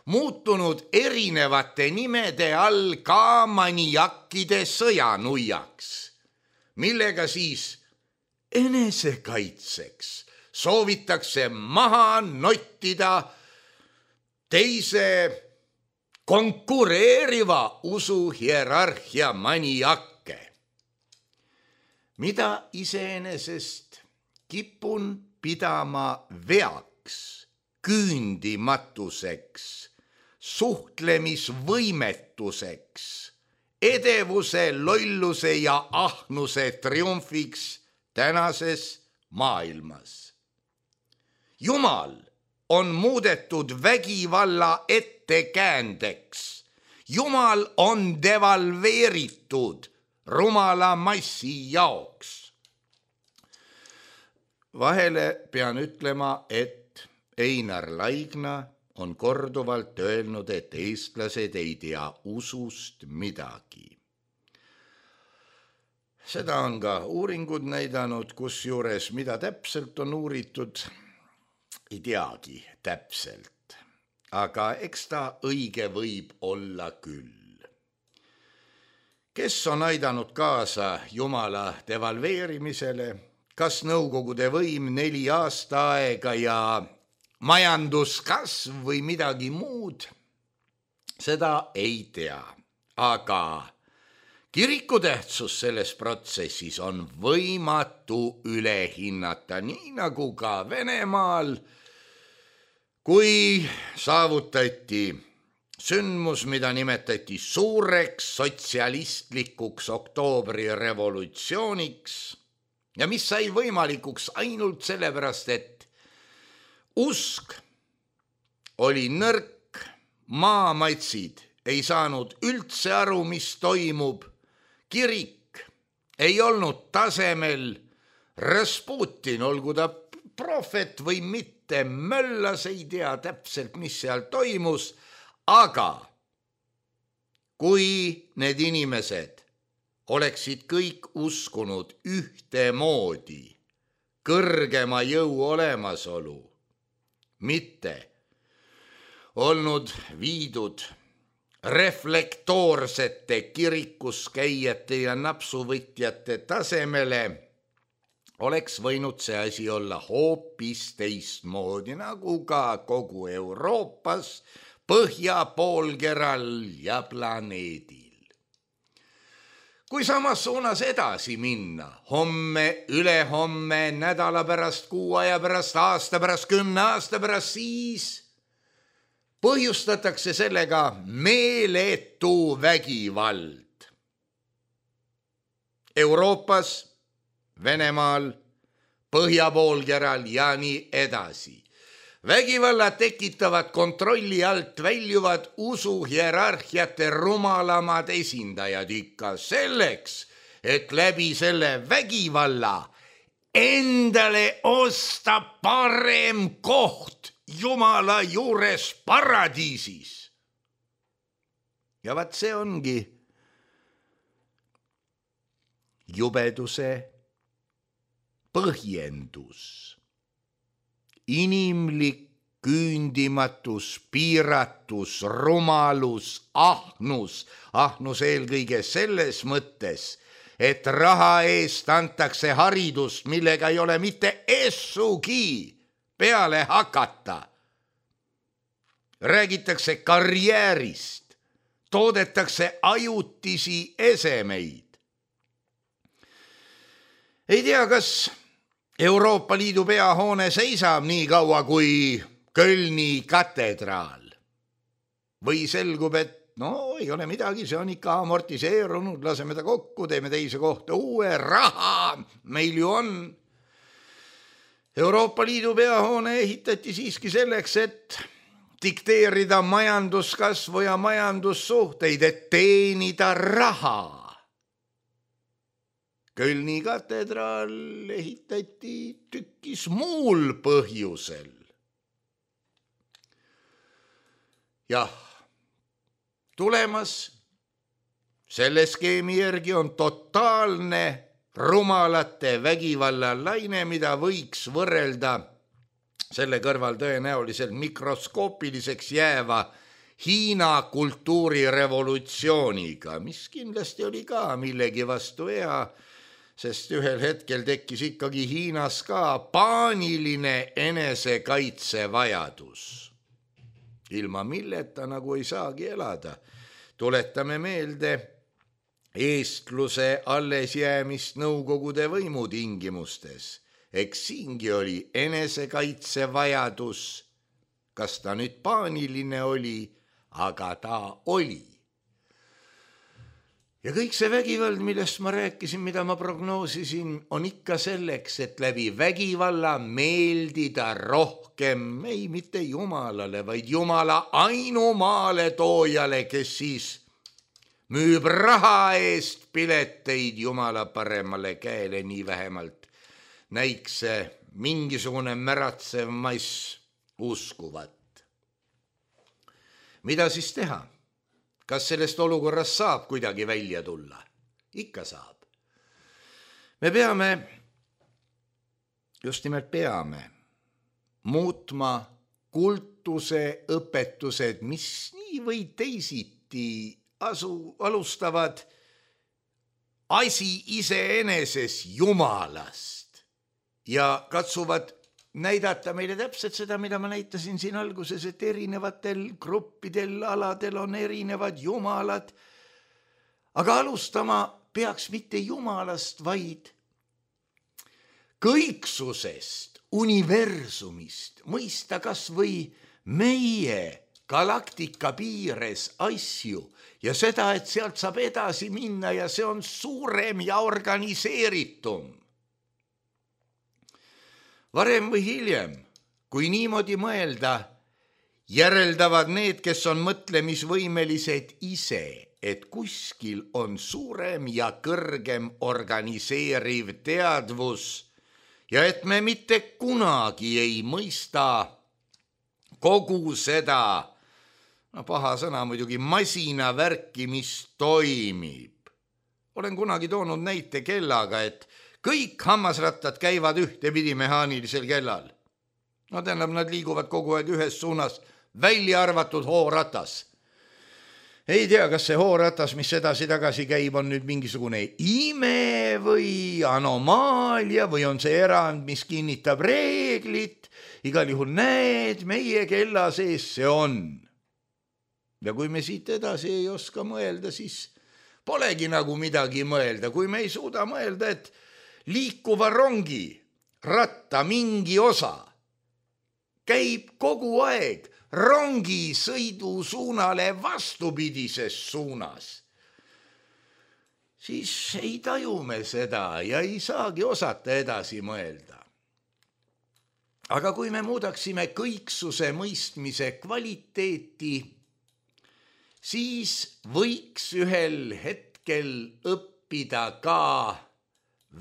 muutunud erinevate nimede all ka maniakkide sõjanuiaks, millega siis enesekaitseks soovitakse maha nottida teise konkureeriva usuhierarhia maniakke, mida iseenesest kipun pidama veaks küündimatuseks, suhtlemisvõimetuseks, edevuse, lolluse ja ahnuse triumfiks tänases maailmas. Jumal on muudetud vägivalla ettekäändeks. Jumal on devalveeritud rumala massi jaoks. Vahele pean ütlema, et Einar Laigna on korduvalt öelnud, et eestlased ei tea usust midagi. Seda on ka uuringud näidanud, kusjuures mida täpselt on uuritud, ei teagi täpselt, aga eks ta õige võib olla küll. Kes on aidanud kaasa Jumala devalveerimisele, kas Nõukogude võim neli aasta aega ja majanduskasv või midagi muud, seda ei tea, aga kiriku tähtsus selles protsessis on võimatu üle hinnata, nii nagu ka Venemaal, kui saavutati sündmus, mida nimetati suureks sotsialistlikuks oktoobri revolutsiooniks ja mis sai võimalikuks ainult sellepärast, et usk oli nõrk, maamaitsid ei saanud üldse aru, mis toimub, kirik ei olnud tasemel, Rasputin, olgu ta prohvet või mitte, möllas, ei tea täpselt, mis seal toimus, aga kui need inimesed oleksid kõik uskunud ühtemoodi kõrgema jõu olemasolu, mitte olnud viidud reflektoorsete kirikus käijate ja napsuvõtjate tasemele, oleks võinud see asi olla hoopis teistmoodi, nagu ka kogu Euroopas, põhjapoolkeral ja planeedil. Kui samas suunas edasi minna, homme, ülehomme, nädala pärast, kuu aja pärast, aasta pärast, kümne aasta pärast, siis põhjustatakse sellega meeletu vägivald. Euroopas, Venemaal, põhjapoolkeral ja nii edasi. Vägivalla tekitavad kontrolli alt väljuvad usuhierarhiate rumalamad esindajad ikka selleks, et läbi selle vägivalla endale osta parem koht Jumala juures paradiisis. Ja vaat see ongi jubeduse põhjendus. Inimlik küündimatus, piiratus, rumalus, ahnus, ahnus eelkõige selles mõttes, et raha eest antakse haridust, millega ei ole mitte essugi peale hakata. Räägitakse karjäärist, toodetakse ajutisi esemeid. Ei tea, kas Euroopa Liidu peahoone seisab nii kaua kui Kölni katedraal. Või selgub, et no ei ole midagi, see on ikka amortiseerunud, laseme ta kokku, teeme teise kohta uue, raha meil ju on. Euroopa Liidu peahoone ehitati siiski selleks, et dikteerida majanduskasvu ja majandussuhteid, et teenida raha. Kölni katedraal ehitati tükkis muul põhjusel. Jah, tulemas selle skeemi järgi on totaalne rumalate vägivallalaine, mida võiks võrrelda selle kõrval tõenäoliselt mikroskoopiliseks jääva Hiina kultuurirevolutsiooniga, mis kindlasti oli ka millegi vastu hea, sest ühel hetkel tekkis ikkagi Hiinas ka paaniline enesekaitsevajadus. Ilma milleta nagu ei saagi elada. Tuletame meelde eestluse alles jäämist Nõukogude võimu tingimustes. Eks siingi oli enesekaitsevajadus kas ta nüüd paaniline oli, aga ta oli. Ja kõik see vägivald, millest ma rääkisin, mida ma prognoosisin, on ikka selleks, et läbi vägivalla meeldida rohkem, ei mitte Jumalale, vaid Jumala ainumaale toojale, kes siis müüb raha eest pileteid Jumala paremale käele, nii vähemalt näiks see mingisugune märatsev mass uskuvat. Mida siis teha? Kas sellest olukorrast saab kuidagi välja tulla? Ikka saab. Me peame, just nimelt peame, muutma kultuse õpetused, mis nii või teisiti asu, alustavad asi iseeneses Jumalast ja katsuvad näidata meile täpselt seda, mida ma näitasin siin alguses, et erinevatel gruppidel, aladel on erinevad jumalad. Aga alustama peaks mitte Jumalast, vaid kõiksusest, universumist, mõista kas või meie galaktika piires asju ja seda, et sealt saab edasi minna ja see on suurem ja organiseeritum. Varem või hiljem, kui niimoodi mõelda, järeldavad need, kes on mõtlemisvõimelised ise, et kuskil on suurem ja kõrgem organiseeriv teadvus ja et me mitte kunagi ei mõista kogu seda, no paha sõna muidugi, masinavärki, mis toimib. Olen kunagi toonud näite kellaga, et kõik hammasrattad käivad ühtepidi mehaanilisel kellal. No tähendab, nad liiguvad kogu aeg ühes suunas, välja arvatud hooratas. Ei tea, kas see hooratas, mis edasi-tagasi käib, on nüüd mingisugune ime või anomaalia või on see erand, mis kinnitab reeglit. Igal juhul näed, meie kella sees see on. Ja kui me siit edasi ei oska mõelda, siis polegi nagu midagi mõelda. Kui me ei suuda mõelda, et liikuva rongi ratta mingi osa käib kogu aeg rongi sõidusuunale vastupidises suunas, siis ei taju me seda ja ei saagi osata edasi mõelda. Aga kui me muudaksime kõiksuse mõistmise kvaliteeti, siis võiks ühel hetkel õppida ka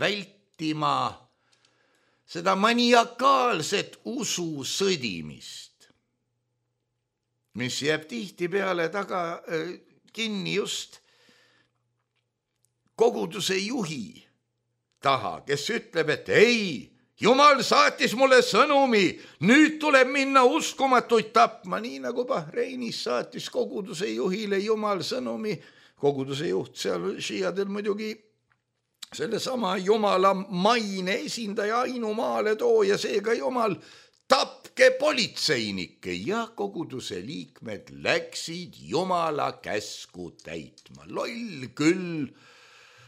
vältima seda maniakaalset usu sõdimist, mis jääb tihti peale taga äh, kinni just koguduse juhi taha, kes ütleb, et ei, Jumal saatis mulle sõnumi, nüüd tuleb minna uskumatuid tapma, nii nagu Bahreinis saatis koguduse juhile Jumal sõnumi, koguduse juht seal šiiadel muidugi selle sama Jumala maine esindaja ainumaale tooja, seega Jumal, tapke politseinikke ja koguduse liikmed läksid Jumala käsku täitma. Loll küll,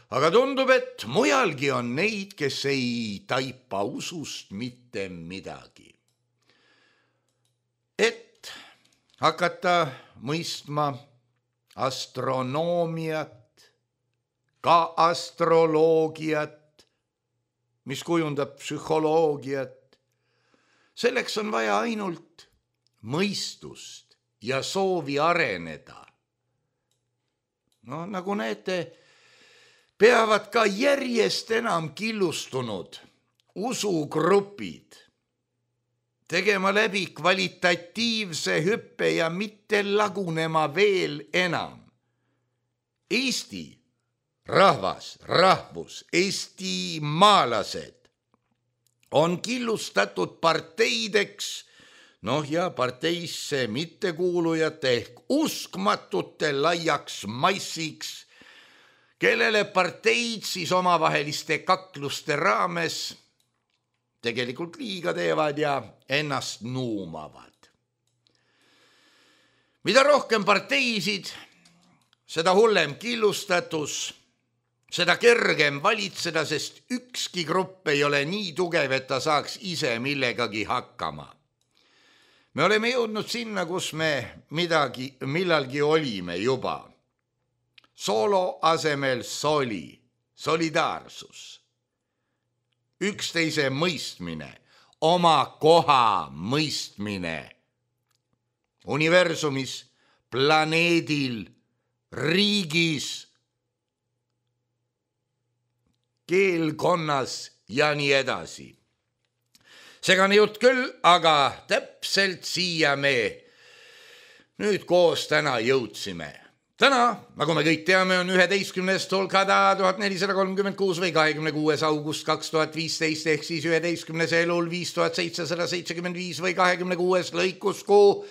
aga tundub, et mujalgi on neid, kes ei taipa usust mitte midagi. Et hakata mõistma astronoomiat, ka astroloogiat, mis kujundab psühholoogiat. Selleks on vaja ainult mõistust ja soovi areneda. No nagu näete, peavad ka järjest enam killustunud usugrupid tegema läbi kvalitatiivse hüppe ja mitte lagunema veel enam. Eesti rahvas, rahvus, Eesti maalased on killustatud parteideks, noh ja parteisse mittekuulujate ehk uskmatute laiaks massiks, kellele parteid siis omavaheliste kakluste raames tegelikult liiga teevad ja ennast nuumavad. Mida rohkem parteisid, seda hullem killustatus, seda kergem valitseda, sest ükski grupp ei ole nii tugev, et ta saaks ise millegagi hakkama. Me oleme jõudnud sinna, kus me midagi, millalgi olime juba. Soolo asemel soli, solidaarsus, üksteise mõistmine, oma koha mõistmine universumis, planeedil, riigis, keelkonnas ja nii edasi. Segane jutt küll, aga täpselt siia me nüüd koos täna jõudsime. Täna, nagu me kõik teame, on üheteistkümnest Holkada tuhat nelisada kolmkümmend kuus või kahekümne kuues august kaks tuhat viisteist ehk siis üheteistkümnes elul viis tuhat seitsesada seitsekümmend viis või kahekümne kuues lõikuskuu.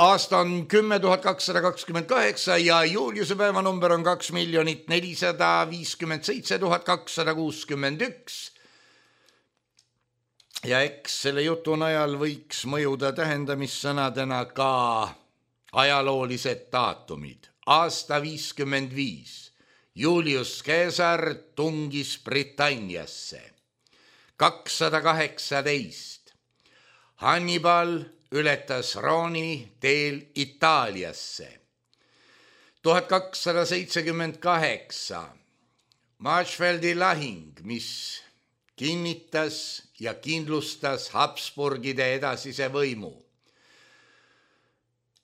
Aasta on kümme tuhat kakssada kakskümmend kaheksa ja Juliuse päeva number on kaks miljonit nelisada viiskümmend seitse tuhat kakssada kuuskümmend üks. Ja eks selle jutu najal võiks mõjuda tähendamissõnadena ka ajaloolised daatumid. Aasta viiskümmend viis. Julius Caesar tungis Britanniasse. kakssada kaheksateist. Hannibal ületas Rooni teel Itaaliasse. tuhat kakssada seitsekümmend kaheksa. Marsfeldi lahing, mis kinnitas ja kindlustas Habsburgide edasise võimu.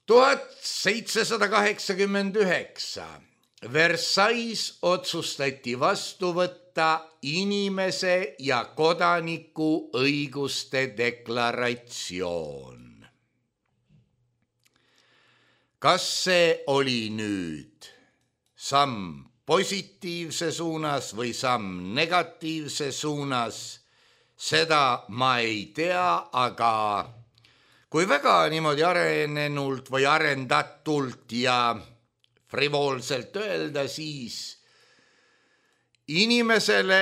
tuhat seitsesada kaheksakümmend üheksa. Versailles otsustati vastu võtta inimese ja kodaniku õiguste deklaratsioon. Kas see oli nüüd samm positiivse suunas või samm negatiivse suunas, seda ma ei tea, aga kui väga niimoodi arenenult või arendatult ja frivoolselt öelda, siis inimesele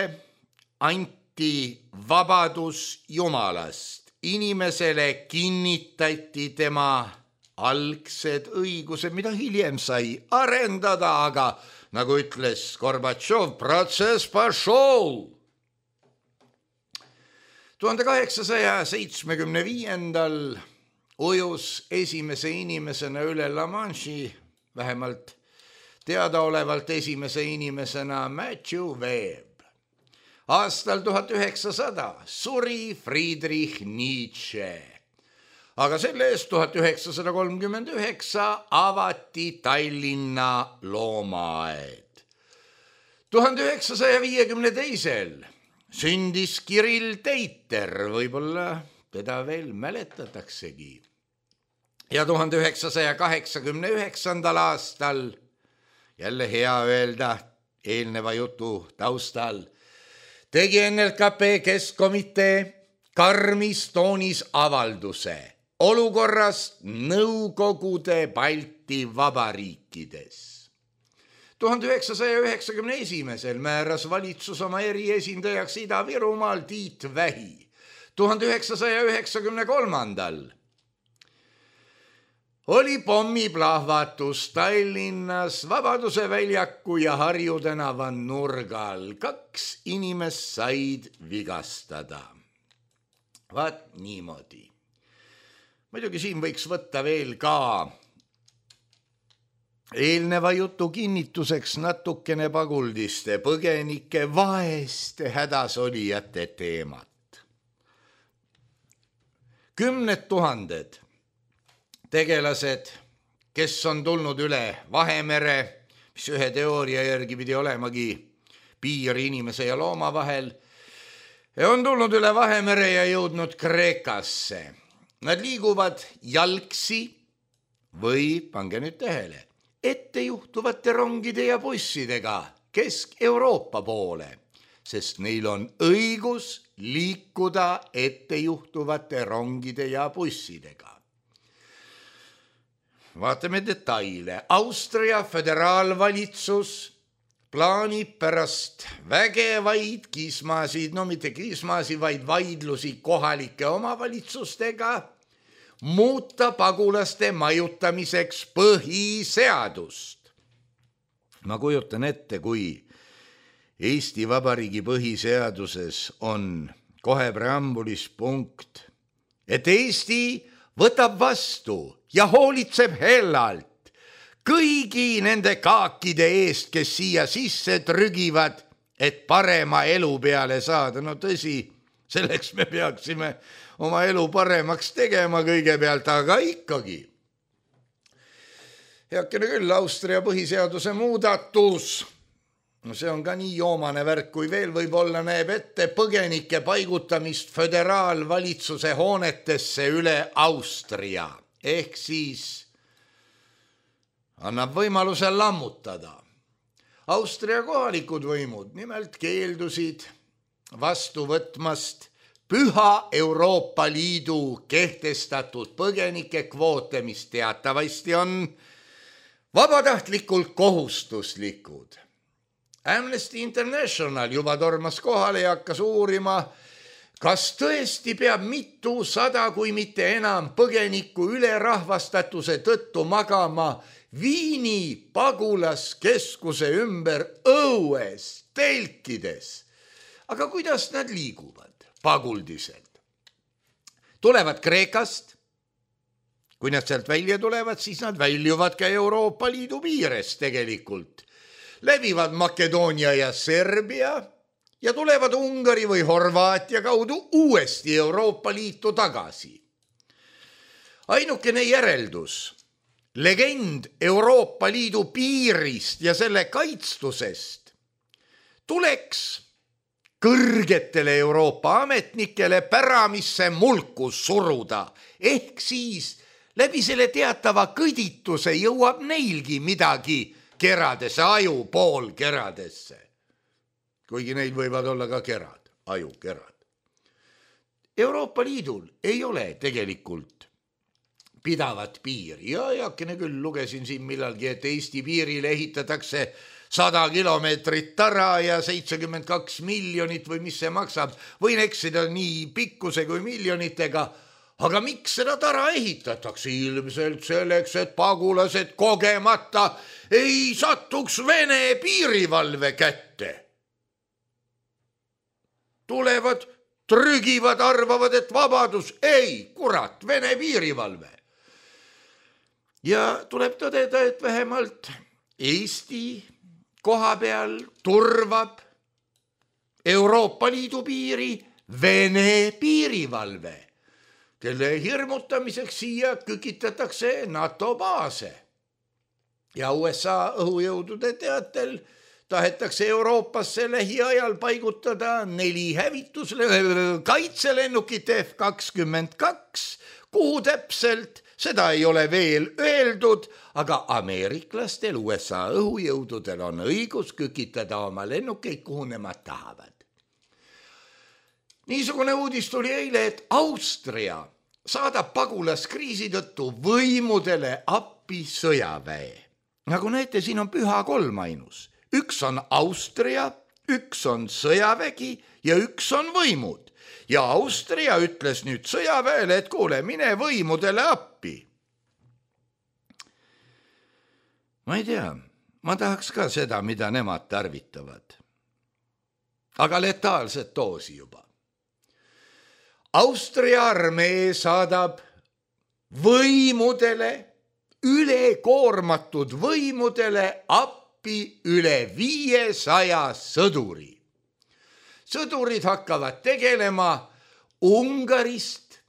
anti vabadus Jumalast. Inimesele kinnitati tema algsed õigused, mida hiljem sai arendada, aga nagu ütles Gorbatšov, protsess pašol. tuhande kaheksasaja seitsmekümne viiendal ujus esimese inimesena üle La Manche'i, vähemalt teadaolevalt esimese inimesena Matthew Webb. Aastal tuhat üheksasada suri Friedrich Nietzsche. Aga selle eest tuhat üheksasada kolmkümmend üheksa avati Tallinna loomaaed. tuhande üheksasaja viiekümne teisel sündis Kirill Teiter, võib-olla teda veel mäletataksegi. Ja tuhande üheksasaja kaheksakümne üheksandal aastal, jälle hea öelda eelneva jutu taustal, tegi N L K P Keskkomitee karmis toonis avalduse olukorrast Nõukogude Balti vabariikides. tuhande üheksasaja üheksakümne esimesel määras valitsus oma eriesindajaks Ida-Virumaal Tiit Vähi. tuhande üheksasaja üheksakümne kolmandal oli pommiplahvatus Tallinnas Vabaduse väljaku ja Harju tänava nurgal. Kaks inimest said vigastada. Vaat niimoodi. Muidugi siin võiks võtta veel ka eelneva jutu kinnituseks natukene paguldiste, põgenike, vaeste hädasolijate teemat. Kümned tuhanded tegelased, kes on tulnud üle Vahemere, mis ühe teooria järgi pidi olemagi piir inimese ja looma vahel, on tulnud üle Vahemere ja jõudnud Kreekasse. Nad liiguvad jalgsi või, pange nüüd tähele, ettejuhtuvate rongide ja bussidega Kesk-Euroopa poole, sest neil on õigus liikuda ettejuhtuvate rongide ja bussidega. Vaatame detaile. Austria föderaalvalitsus plaanib pärast vägevaid kismasid, no mitte kismasid, vaid vaidlusi kohalike omavalitsustega, muuta pagulaste majutamiseks põhiseadust. Ma kujutan ette, kui Eesti Vabariigi põhiseaduses on kohe preambulis punkt, et Eesti võtab vastu ja hoolitseb hellalt kõigi nende kaakide eest, kes siia sisse trügivad, et parema elu peale saada. No tõsi, selleks me peaksime oma elu paremaks tegema kõigepealt, aga ikkagi. Heakene küll, Austria põhiseaduse muudatus. No see on ka nii joomane värk, kui veel võib-olla näeb ette põgenike paigutamist föderaalvalitsuse hoonetesse üle Austria. Ehk siis annab võimaluse lammutada. Austria kohalikud võimud nimelt keeldusid vastu võtmast püha Euroopa Liidu kehtestatud põgenike kvoote, mis teatavasti on vabatahtlikult kohustuslikud. Amnesty International juba tormas kohale ja hakkas uurima, kas tõesti peab mitu sada, kui mitte enam põgeniku ülerahvastatuse tõttu magama Viini pagulaskeskuse ümber õues, telkides. Aga kuidas nad liiguvad paguldiselt? Tulevad Kreekast. Kui nad sealt välja tulevad, siis nad väljuvad ka Euroopa Liidu piires tegelikult. Läbivad Makedoonia ja Serbia ja tulevad Ungari või Horvaatia kaudu uuesti Euroopa Liitu tagasi. Ainukene järeldus, legend Euroopa Liidu piirist ja selle kaitstusest tuleks kõrgetele Euroopa ametnikele päramisse mulku suruda, ehk siis läbi selle teatava kõdituse jõuab neilgi midagi keradesse, aju pool keradesse. Kuigi neil võivad olla ka kerad, ajukerad. Euroopa Liidul ei ole tegelikult pidavat piiri. Ja jakene küll lugesin siin millalgi, et Eesti piirile ehitatakse sada kilomeetrit tara ja seitsekümmend kaks miljonit või mis see maksab. Võin eksida nii pikkuse kui miljonitega. Aga miks seda tara ehitatakse? Ilmselt selleks, et pagulased kogemata ei satuks Vene piirivalve kätte. Tulevad, trügivad, arvavad, et vabadus. Ei, kurat, Vene piirivalve. Ja tuleb tõdeda, et vähemalt Eesti koha peal turvab Euroopa Liidu piiri Vene piirivalve, kelle hirmutamiseks siia kükitatakse NATO baase. Ja U S A õhujõudude teatel tahetakse Euroopasse lähiajal paigutada neli hävitusle kaitselennukit F kakskümmend kaks, kuhu täpselt, seda ei ole veel öeldud, aga ameeriklastel U S A õhujõududel on õigus kükitada oma lennukeid, kuhu nemad tahavad. Niisugune uudis tuli eile, et Austria saadab pagulaskriisi tõttu võimudele appi sõjaväe. Nagu näete, siin on püha kolm ainus. Üks on Austria, üks on sõjavägi ja üks on võimud. Ja Austria ütles nüüd sõjaväele, et kuule, mine võimudele appi. Ma ei tea, ma tahaks ka seda, mida nemad tarvitavad. Aga letaalset doosi juba. Austria armee saadab võimudele, ülekoormatud võimudele appi üle viiesaja sõduri. Sõdurid hakkavad tegelema Ungarist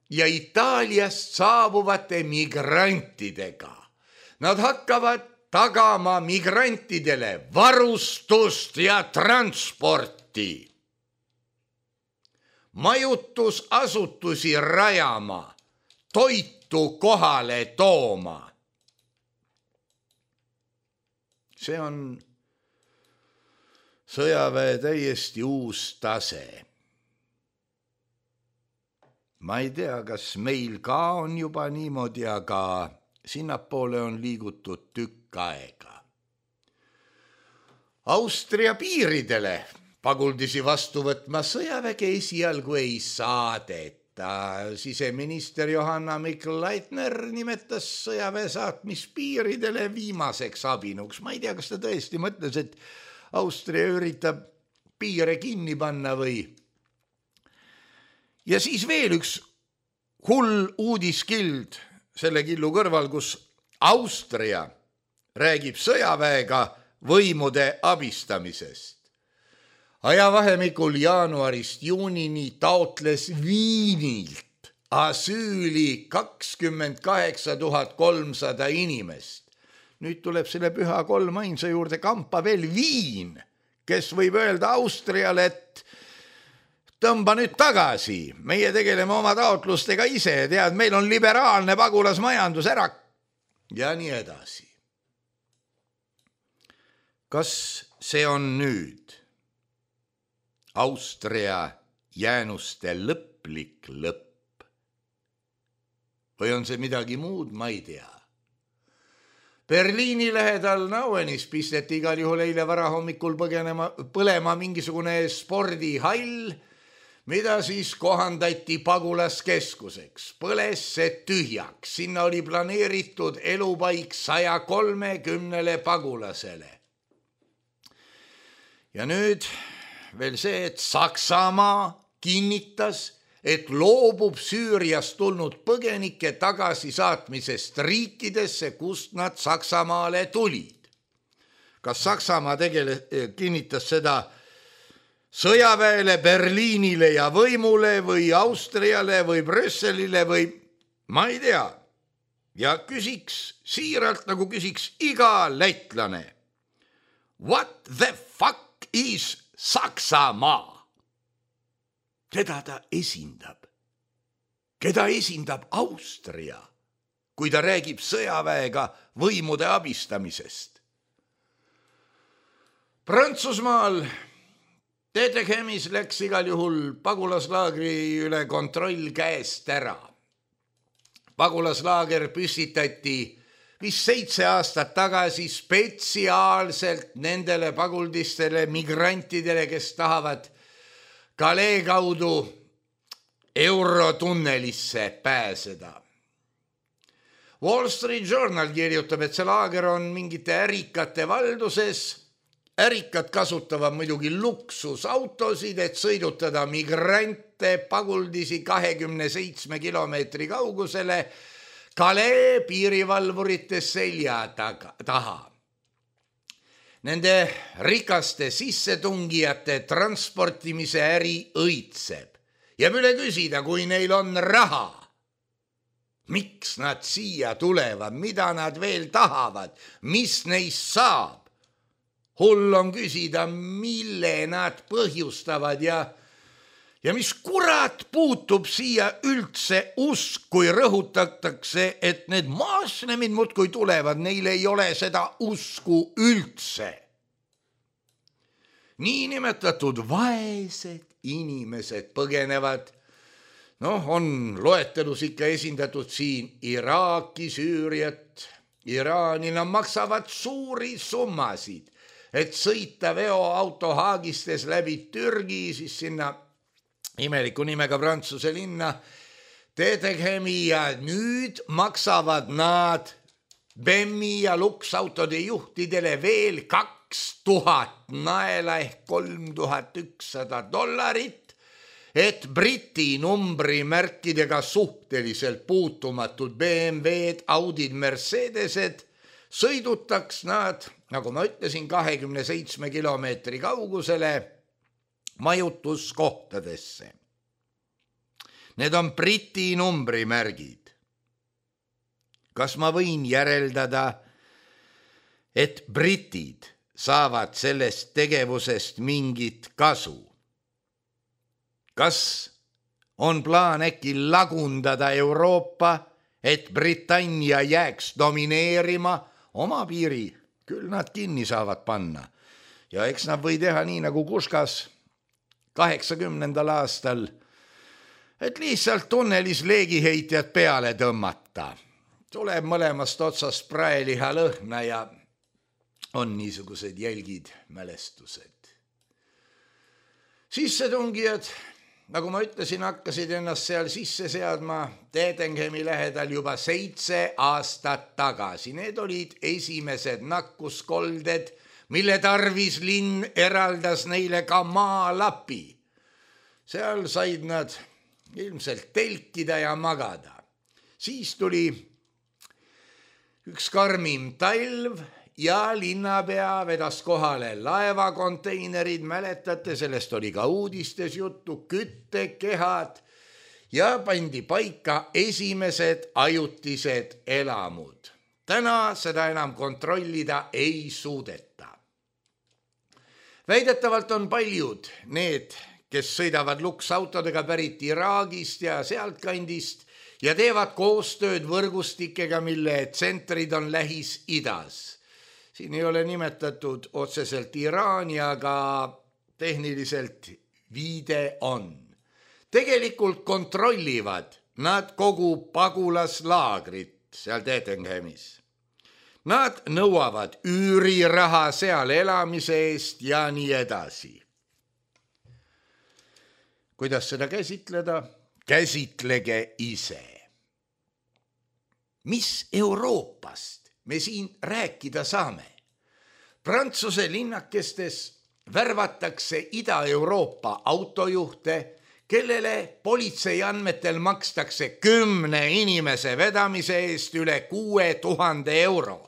ja Itaaliast saabuvate migrantidega. Nad hakkavad tagama migrantidele varustust ja transporti, majutusasutusi rajama, toitu kohale tooma. See on sõjaväe täiesti uus tase. Ma ei tea, kas meil ka on juba niimoodi, aga sinnapoole on liigutud tükk aega. Austria piiridele paguldisi vastu võtma sõjaväge esialgu ei saadeta. Siseminister Johanna Mikl-Leitner nimetas sõjaväe saatmis piiridele viimaseks abinuks. Ma ei tea, kas ta tõesti mõtles, et Austria üritab piire kinni panna või. Ja siis veel üks hull uudiskild selle killu kõrval, kus Austria räägib sõjaväega võimude abistamisest. Ajavahemikul jaanuarist juunini taotles Viinilt asüüli kakskümmend kaheksa tuhat kolmsada inimest. Nüüd tuleb selle püha kolmainsa juurde kampa veel Viin, kes võib öelda Austriale, et tõmba nüüd tagasi, meie tegeleme oma taotlustega ise, tead, meil on liberaalne pagulasmajandus ära ja nii edasi. Kas see on nüüd Austria jäänuste lõplik lõpp? Või on see midagi muud, ma ei tea. Berliini lähedal Nauenis pisteti igal juhul eile varahommikul põgenema, põlema mingisugune spordihall, mida siis kohandati pagulaskeskuseks. Põles see tühjaks, sinna oli planeeritud elupaik saja kolmekümnele pagulasele. Ja nüüd veel see, et Saksamaa kinnitas, et loobub Süüriast tulnud põgenike tagasisaatmisest riikidesse, kust nad Saksamaale tulid. Kas Saksamaa tegele, kinnitas seda sõjaväele, Berliinile ja võimule või Austriale või Brüsselile või ma ei tea. Ja küsiks siiralt, nagu küsiks iga lätlane. What the fuck is Saksamaa? Keda ta esindab? Keda esindab Austria, kui ta räägib sõjaväega võimude abistamisest? Prantsusmaal Dedechemis läks igal juhul pagulaslaagri üle kontroll käest ära. Pagulaslaager püstitati vist seitse aastat tagasi spetsiaalselt nendele paguldistele migrantidele, kes tahavad Calais kaudu Eurotunnelisse pääseda. Wall Street Journal kirjutab, et see laager on mingite ärikate valduses. Ärikad kasutavad muidugi luksusautosid, et sõidutada migrante paguldisi kahekümne seitsme kilomeetri kaugusele Calais piirivalvurite selja taha. Nende rikaste sissetungijate transportimise äri õitseb. Jääb üle küsida, kui neil on raha. Miks nad siia tulevad, mida nad veel tahavad, mis neist saab? Hull on küsida, mille nad põhjustavad ja, ja mis kurat puutub siia üldse usk, kui rõhutatakse, et need maaslemid muudkui tulevad, neil ei ole seda usku üldse. Niinimetatud vaesed inimesed põgenevad. Noh, on loetelus ikka esindatud siin Iraaki, Süüriat, Iraani, nad maksavad suuri summasid, et sõita veoauto haagistes läbi Türgi, siis sinna imeliku nimega Prantsuse linna Dedechemi ja nüüd maksavad nad B M W ja luksautode juhtidele veel kaks tuhat naela ehk kolm tuhat ükssada dollarit, et Briti numbrimärkidega suhteliselt puutumatud B M W-d, Audid, Mercedesed sõidutaks nad, nagu ma ütlesin, kahekümne seitsme kilomeetri kaugusele majutuskohtadesse. Need on Briti numbrimärgid. Kas ma võin järeldada, et britid saavad sellest tegevusest mingit kasu? Kas on plaan äkki lagundada Euroopa, et Britannia jääks domineerima? Oma piiri küll nad kinni saavad panna. Ja eks nad või teha nii nagu Kuskas kaheksakümnendal aastal, et lihtsalt tunnelis leegiheitjad peale tõmmata. Tuleb mõlemast otsast praeliha lõhna ja on niisugused jälgid, mälestused. Sissetungijad, nagu ma ütlesin, hakkasid ennast seal sisse seadma Dedechemi lähedal juba seitse aastat tagasi. Need olid esimesed nakkuskolded, mille tarvis linn eraldas neile ka maalapi. Seal said nad ilmselt telkida ja magada. Siis tuli üks karmim talv ja linnapea vedas kohale laevakonteinerid, mäletate, sellest oli ka uudistes juttu, küttekehad ja pandi paika esimesed ajutised elamud. Täna seda enam kontrollida ei suudeta. Väidetavalt on paljud need, kes sõidavad luksautodega pärit Iraagist ja sealtkandist ja teevad koostööd võrgustikega, mille tsentrid on Lähis-Idas. Siin ei ole nimetatud otseselt Iraani, aga tehniliselt viide on. Tegelikult kontrollivad nad kogu pagulaslaagrit seal Detenhemis. Nad nõuavad üüriraha seal elamise eest ja nii edasi. Kuidas seda käsitleda? Käsitlege ise. Mis Euroopast me siin rääkida saame? Prantsuse linnakestes värvatakse Ida-Euroopa autojuhte, kellele politsei andmetel makstakse kümne inimese vedamise eest üle kuue tuhande euro.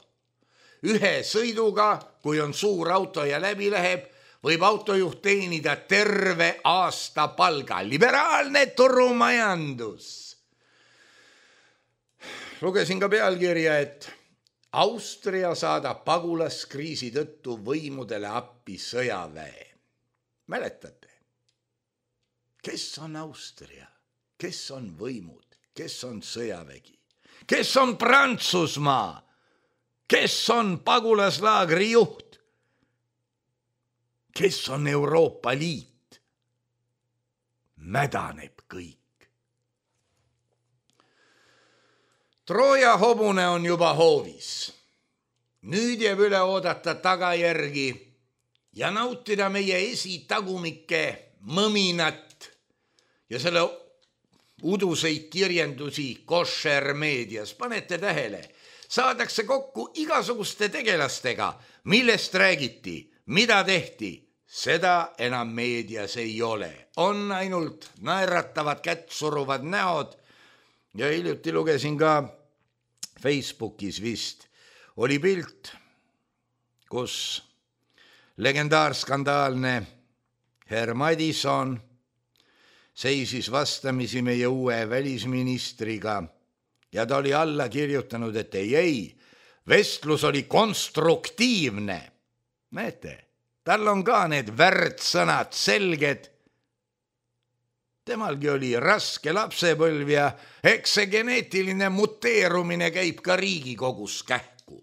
Ühe sõiduga, kui on suur auto ja läbi läheb, võib autojuht teenida terve aasta palga. Liberaalne turumajandus. Lugesin ka pealkirja, et Austria saadab pagulaskriisi tõttu võimudele appi sõjaväe. Mäletate? Kes on Austria? Kes on võimud? Kes on sõjavägi? Kes on Prantsusmaa? Kes on pagulaslaagri juht? Kes on Euroopa Liit? Mädaneb kõik. Trooja hobune on juba hoovis. Nüüd jääb üle oodata tagajärgi ja nautida meie esitagumike mõminat ja selle uduseid kirjendusi košer meedias. Panete tähele, saadakse kokku igasuguste tegelastega, millest räägiti, mida tehti. Seda enam meedias ei ole. On ainult naeratavad kättsuruvad näod ja hiljuti lugesin ka Facebookis vist oli pilt, kus legendaarskandaalne herr Madison seisis vastamisi meie uue välisministriga ja ta oli alla kirjutanud, et ei, ei, vestlus oli konstruktiivne. Näete, tal on ka need värdsõnad selged. Temalgi oli raske lapsepõlv ja eks see geneetiline muteerumine käib ka Riigikogus kähku.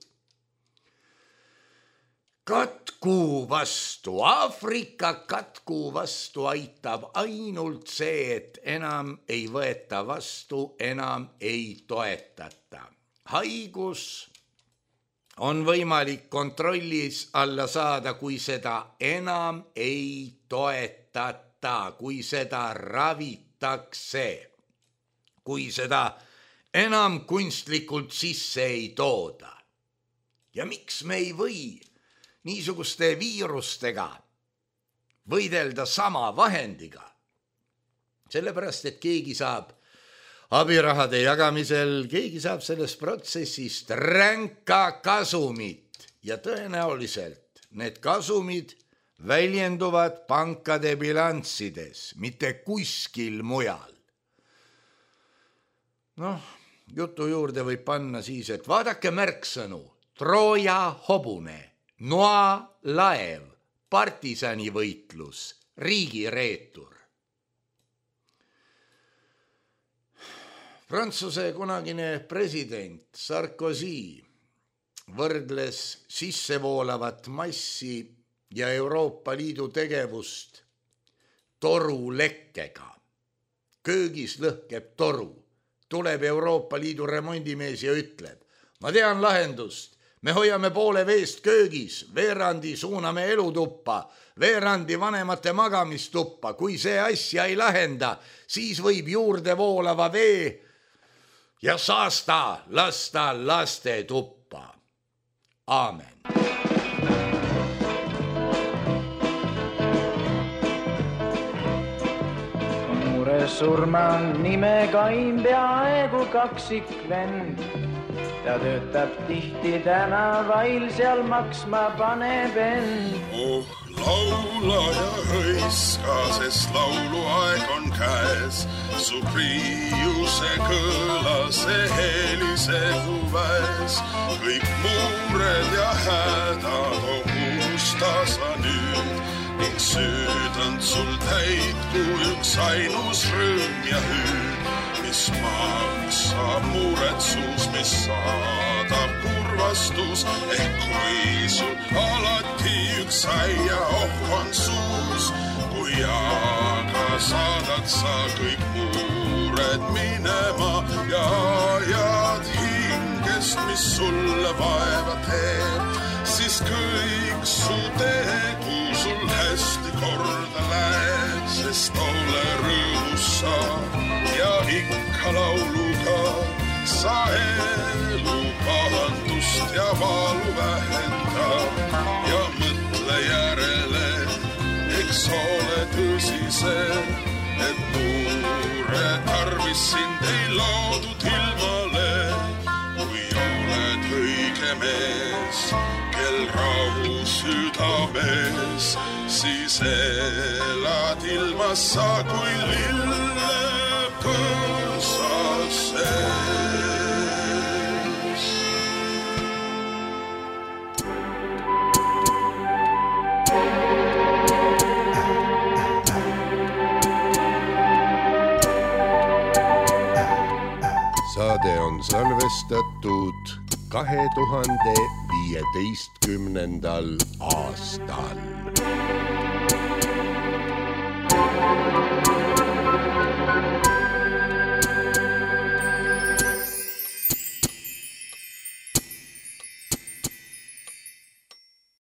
Katku vastu, Aafrika katku vastu aitab ainult see, et enam ei võeta vastu, enam ei toetata. Haigus on võimalik kontrollis alla saada, kui seda enam ei toetata. Kui seda ravitakse, kui seda enam kunstlikult sisse ei tooda. Ja miks me ei või niisuguste viirustega võidelda sama vahendiga? Sellepärast, et keegi saab abirahade jagamisel, keegi saab sellest protsessist ränka kasumit ja tõenäoliselt need kasumid väljenduvad pankade bilanssides, mitte kuskil mujal. Noh, jutu juurde võib panna siis, et vaadake märksõnu, Trooja hobune, noa laev, partisanivõitlus, riigireetur. Prantsuse kunagine president Sarkozy võrdles sissevoolavat massi ja Euroopa Liidu tegevust torulekkega. Köögis lõhkeb toru. Tuleb Euroopa Liidu remondimees ja ütleb, ma tean lahendust, me hoiame poole veest köögis, veerandi suuname elutuppa, veerandi vanemate magamistuppa. Kui see asja ei lahenda, siis võib juurde voolava vee ja saasta lasta laste tuppa. Aamen. surma nime kaim peaaegu kaksik vend. Ta töötab tihti tänavail, seal maksma paneb end. Oh, laulaja hõiska, sest lauluaeg on käes. Su priiuse kõla, see helisehu väes. Kõik muured ja hädad unusta sa nüüd. Ning süüdand sul täitku üks ainus rõõm ja hüüd, mis maksab muretsus, mis saadab kurvastus. Ehk kui sul alati üks aia oh on suus, kui aga saadad sa kõik muured minema ja ajad hingest, mis sulle vaeva teeb, siis kõik su tegu sul hästi korda läheb, sest ole rõõmus sa ja ikka lauluga sa elu pahandust ja valu vähenda ja mõtle järele, eks ole tõsise, et muure tarvis sind ei loodud ilmale, kui oled õige mees, kel rahu südames, siis elad ilmas sa kui lillepõõsa sees. Saade on salvestatud kahe tuhande viieteistkümnendal aastal.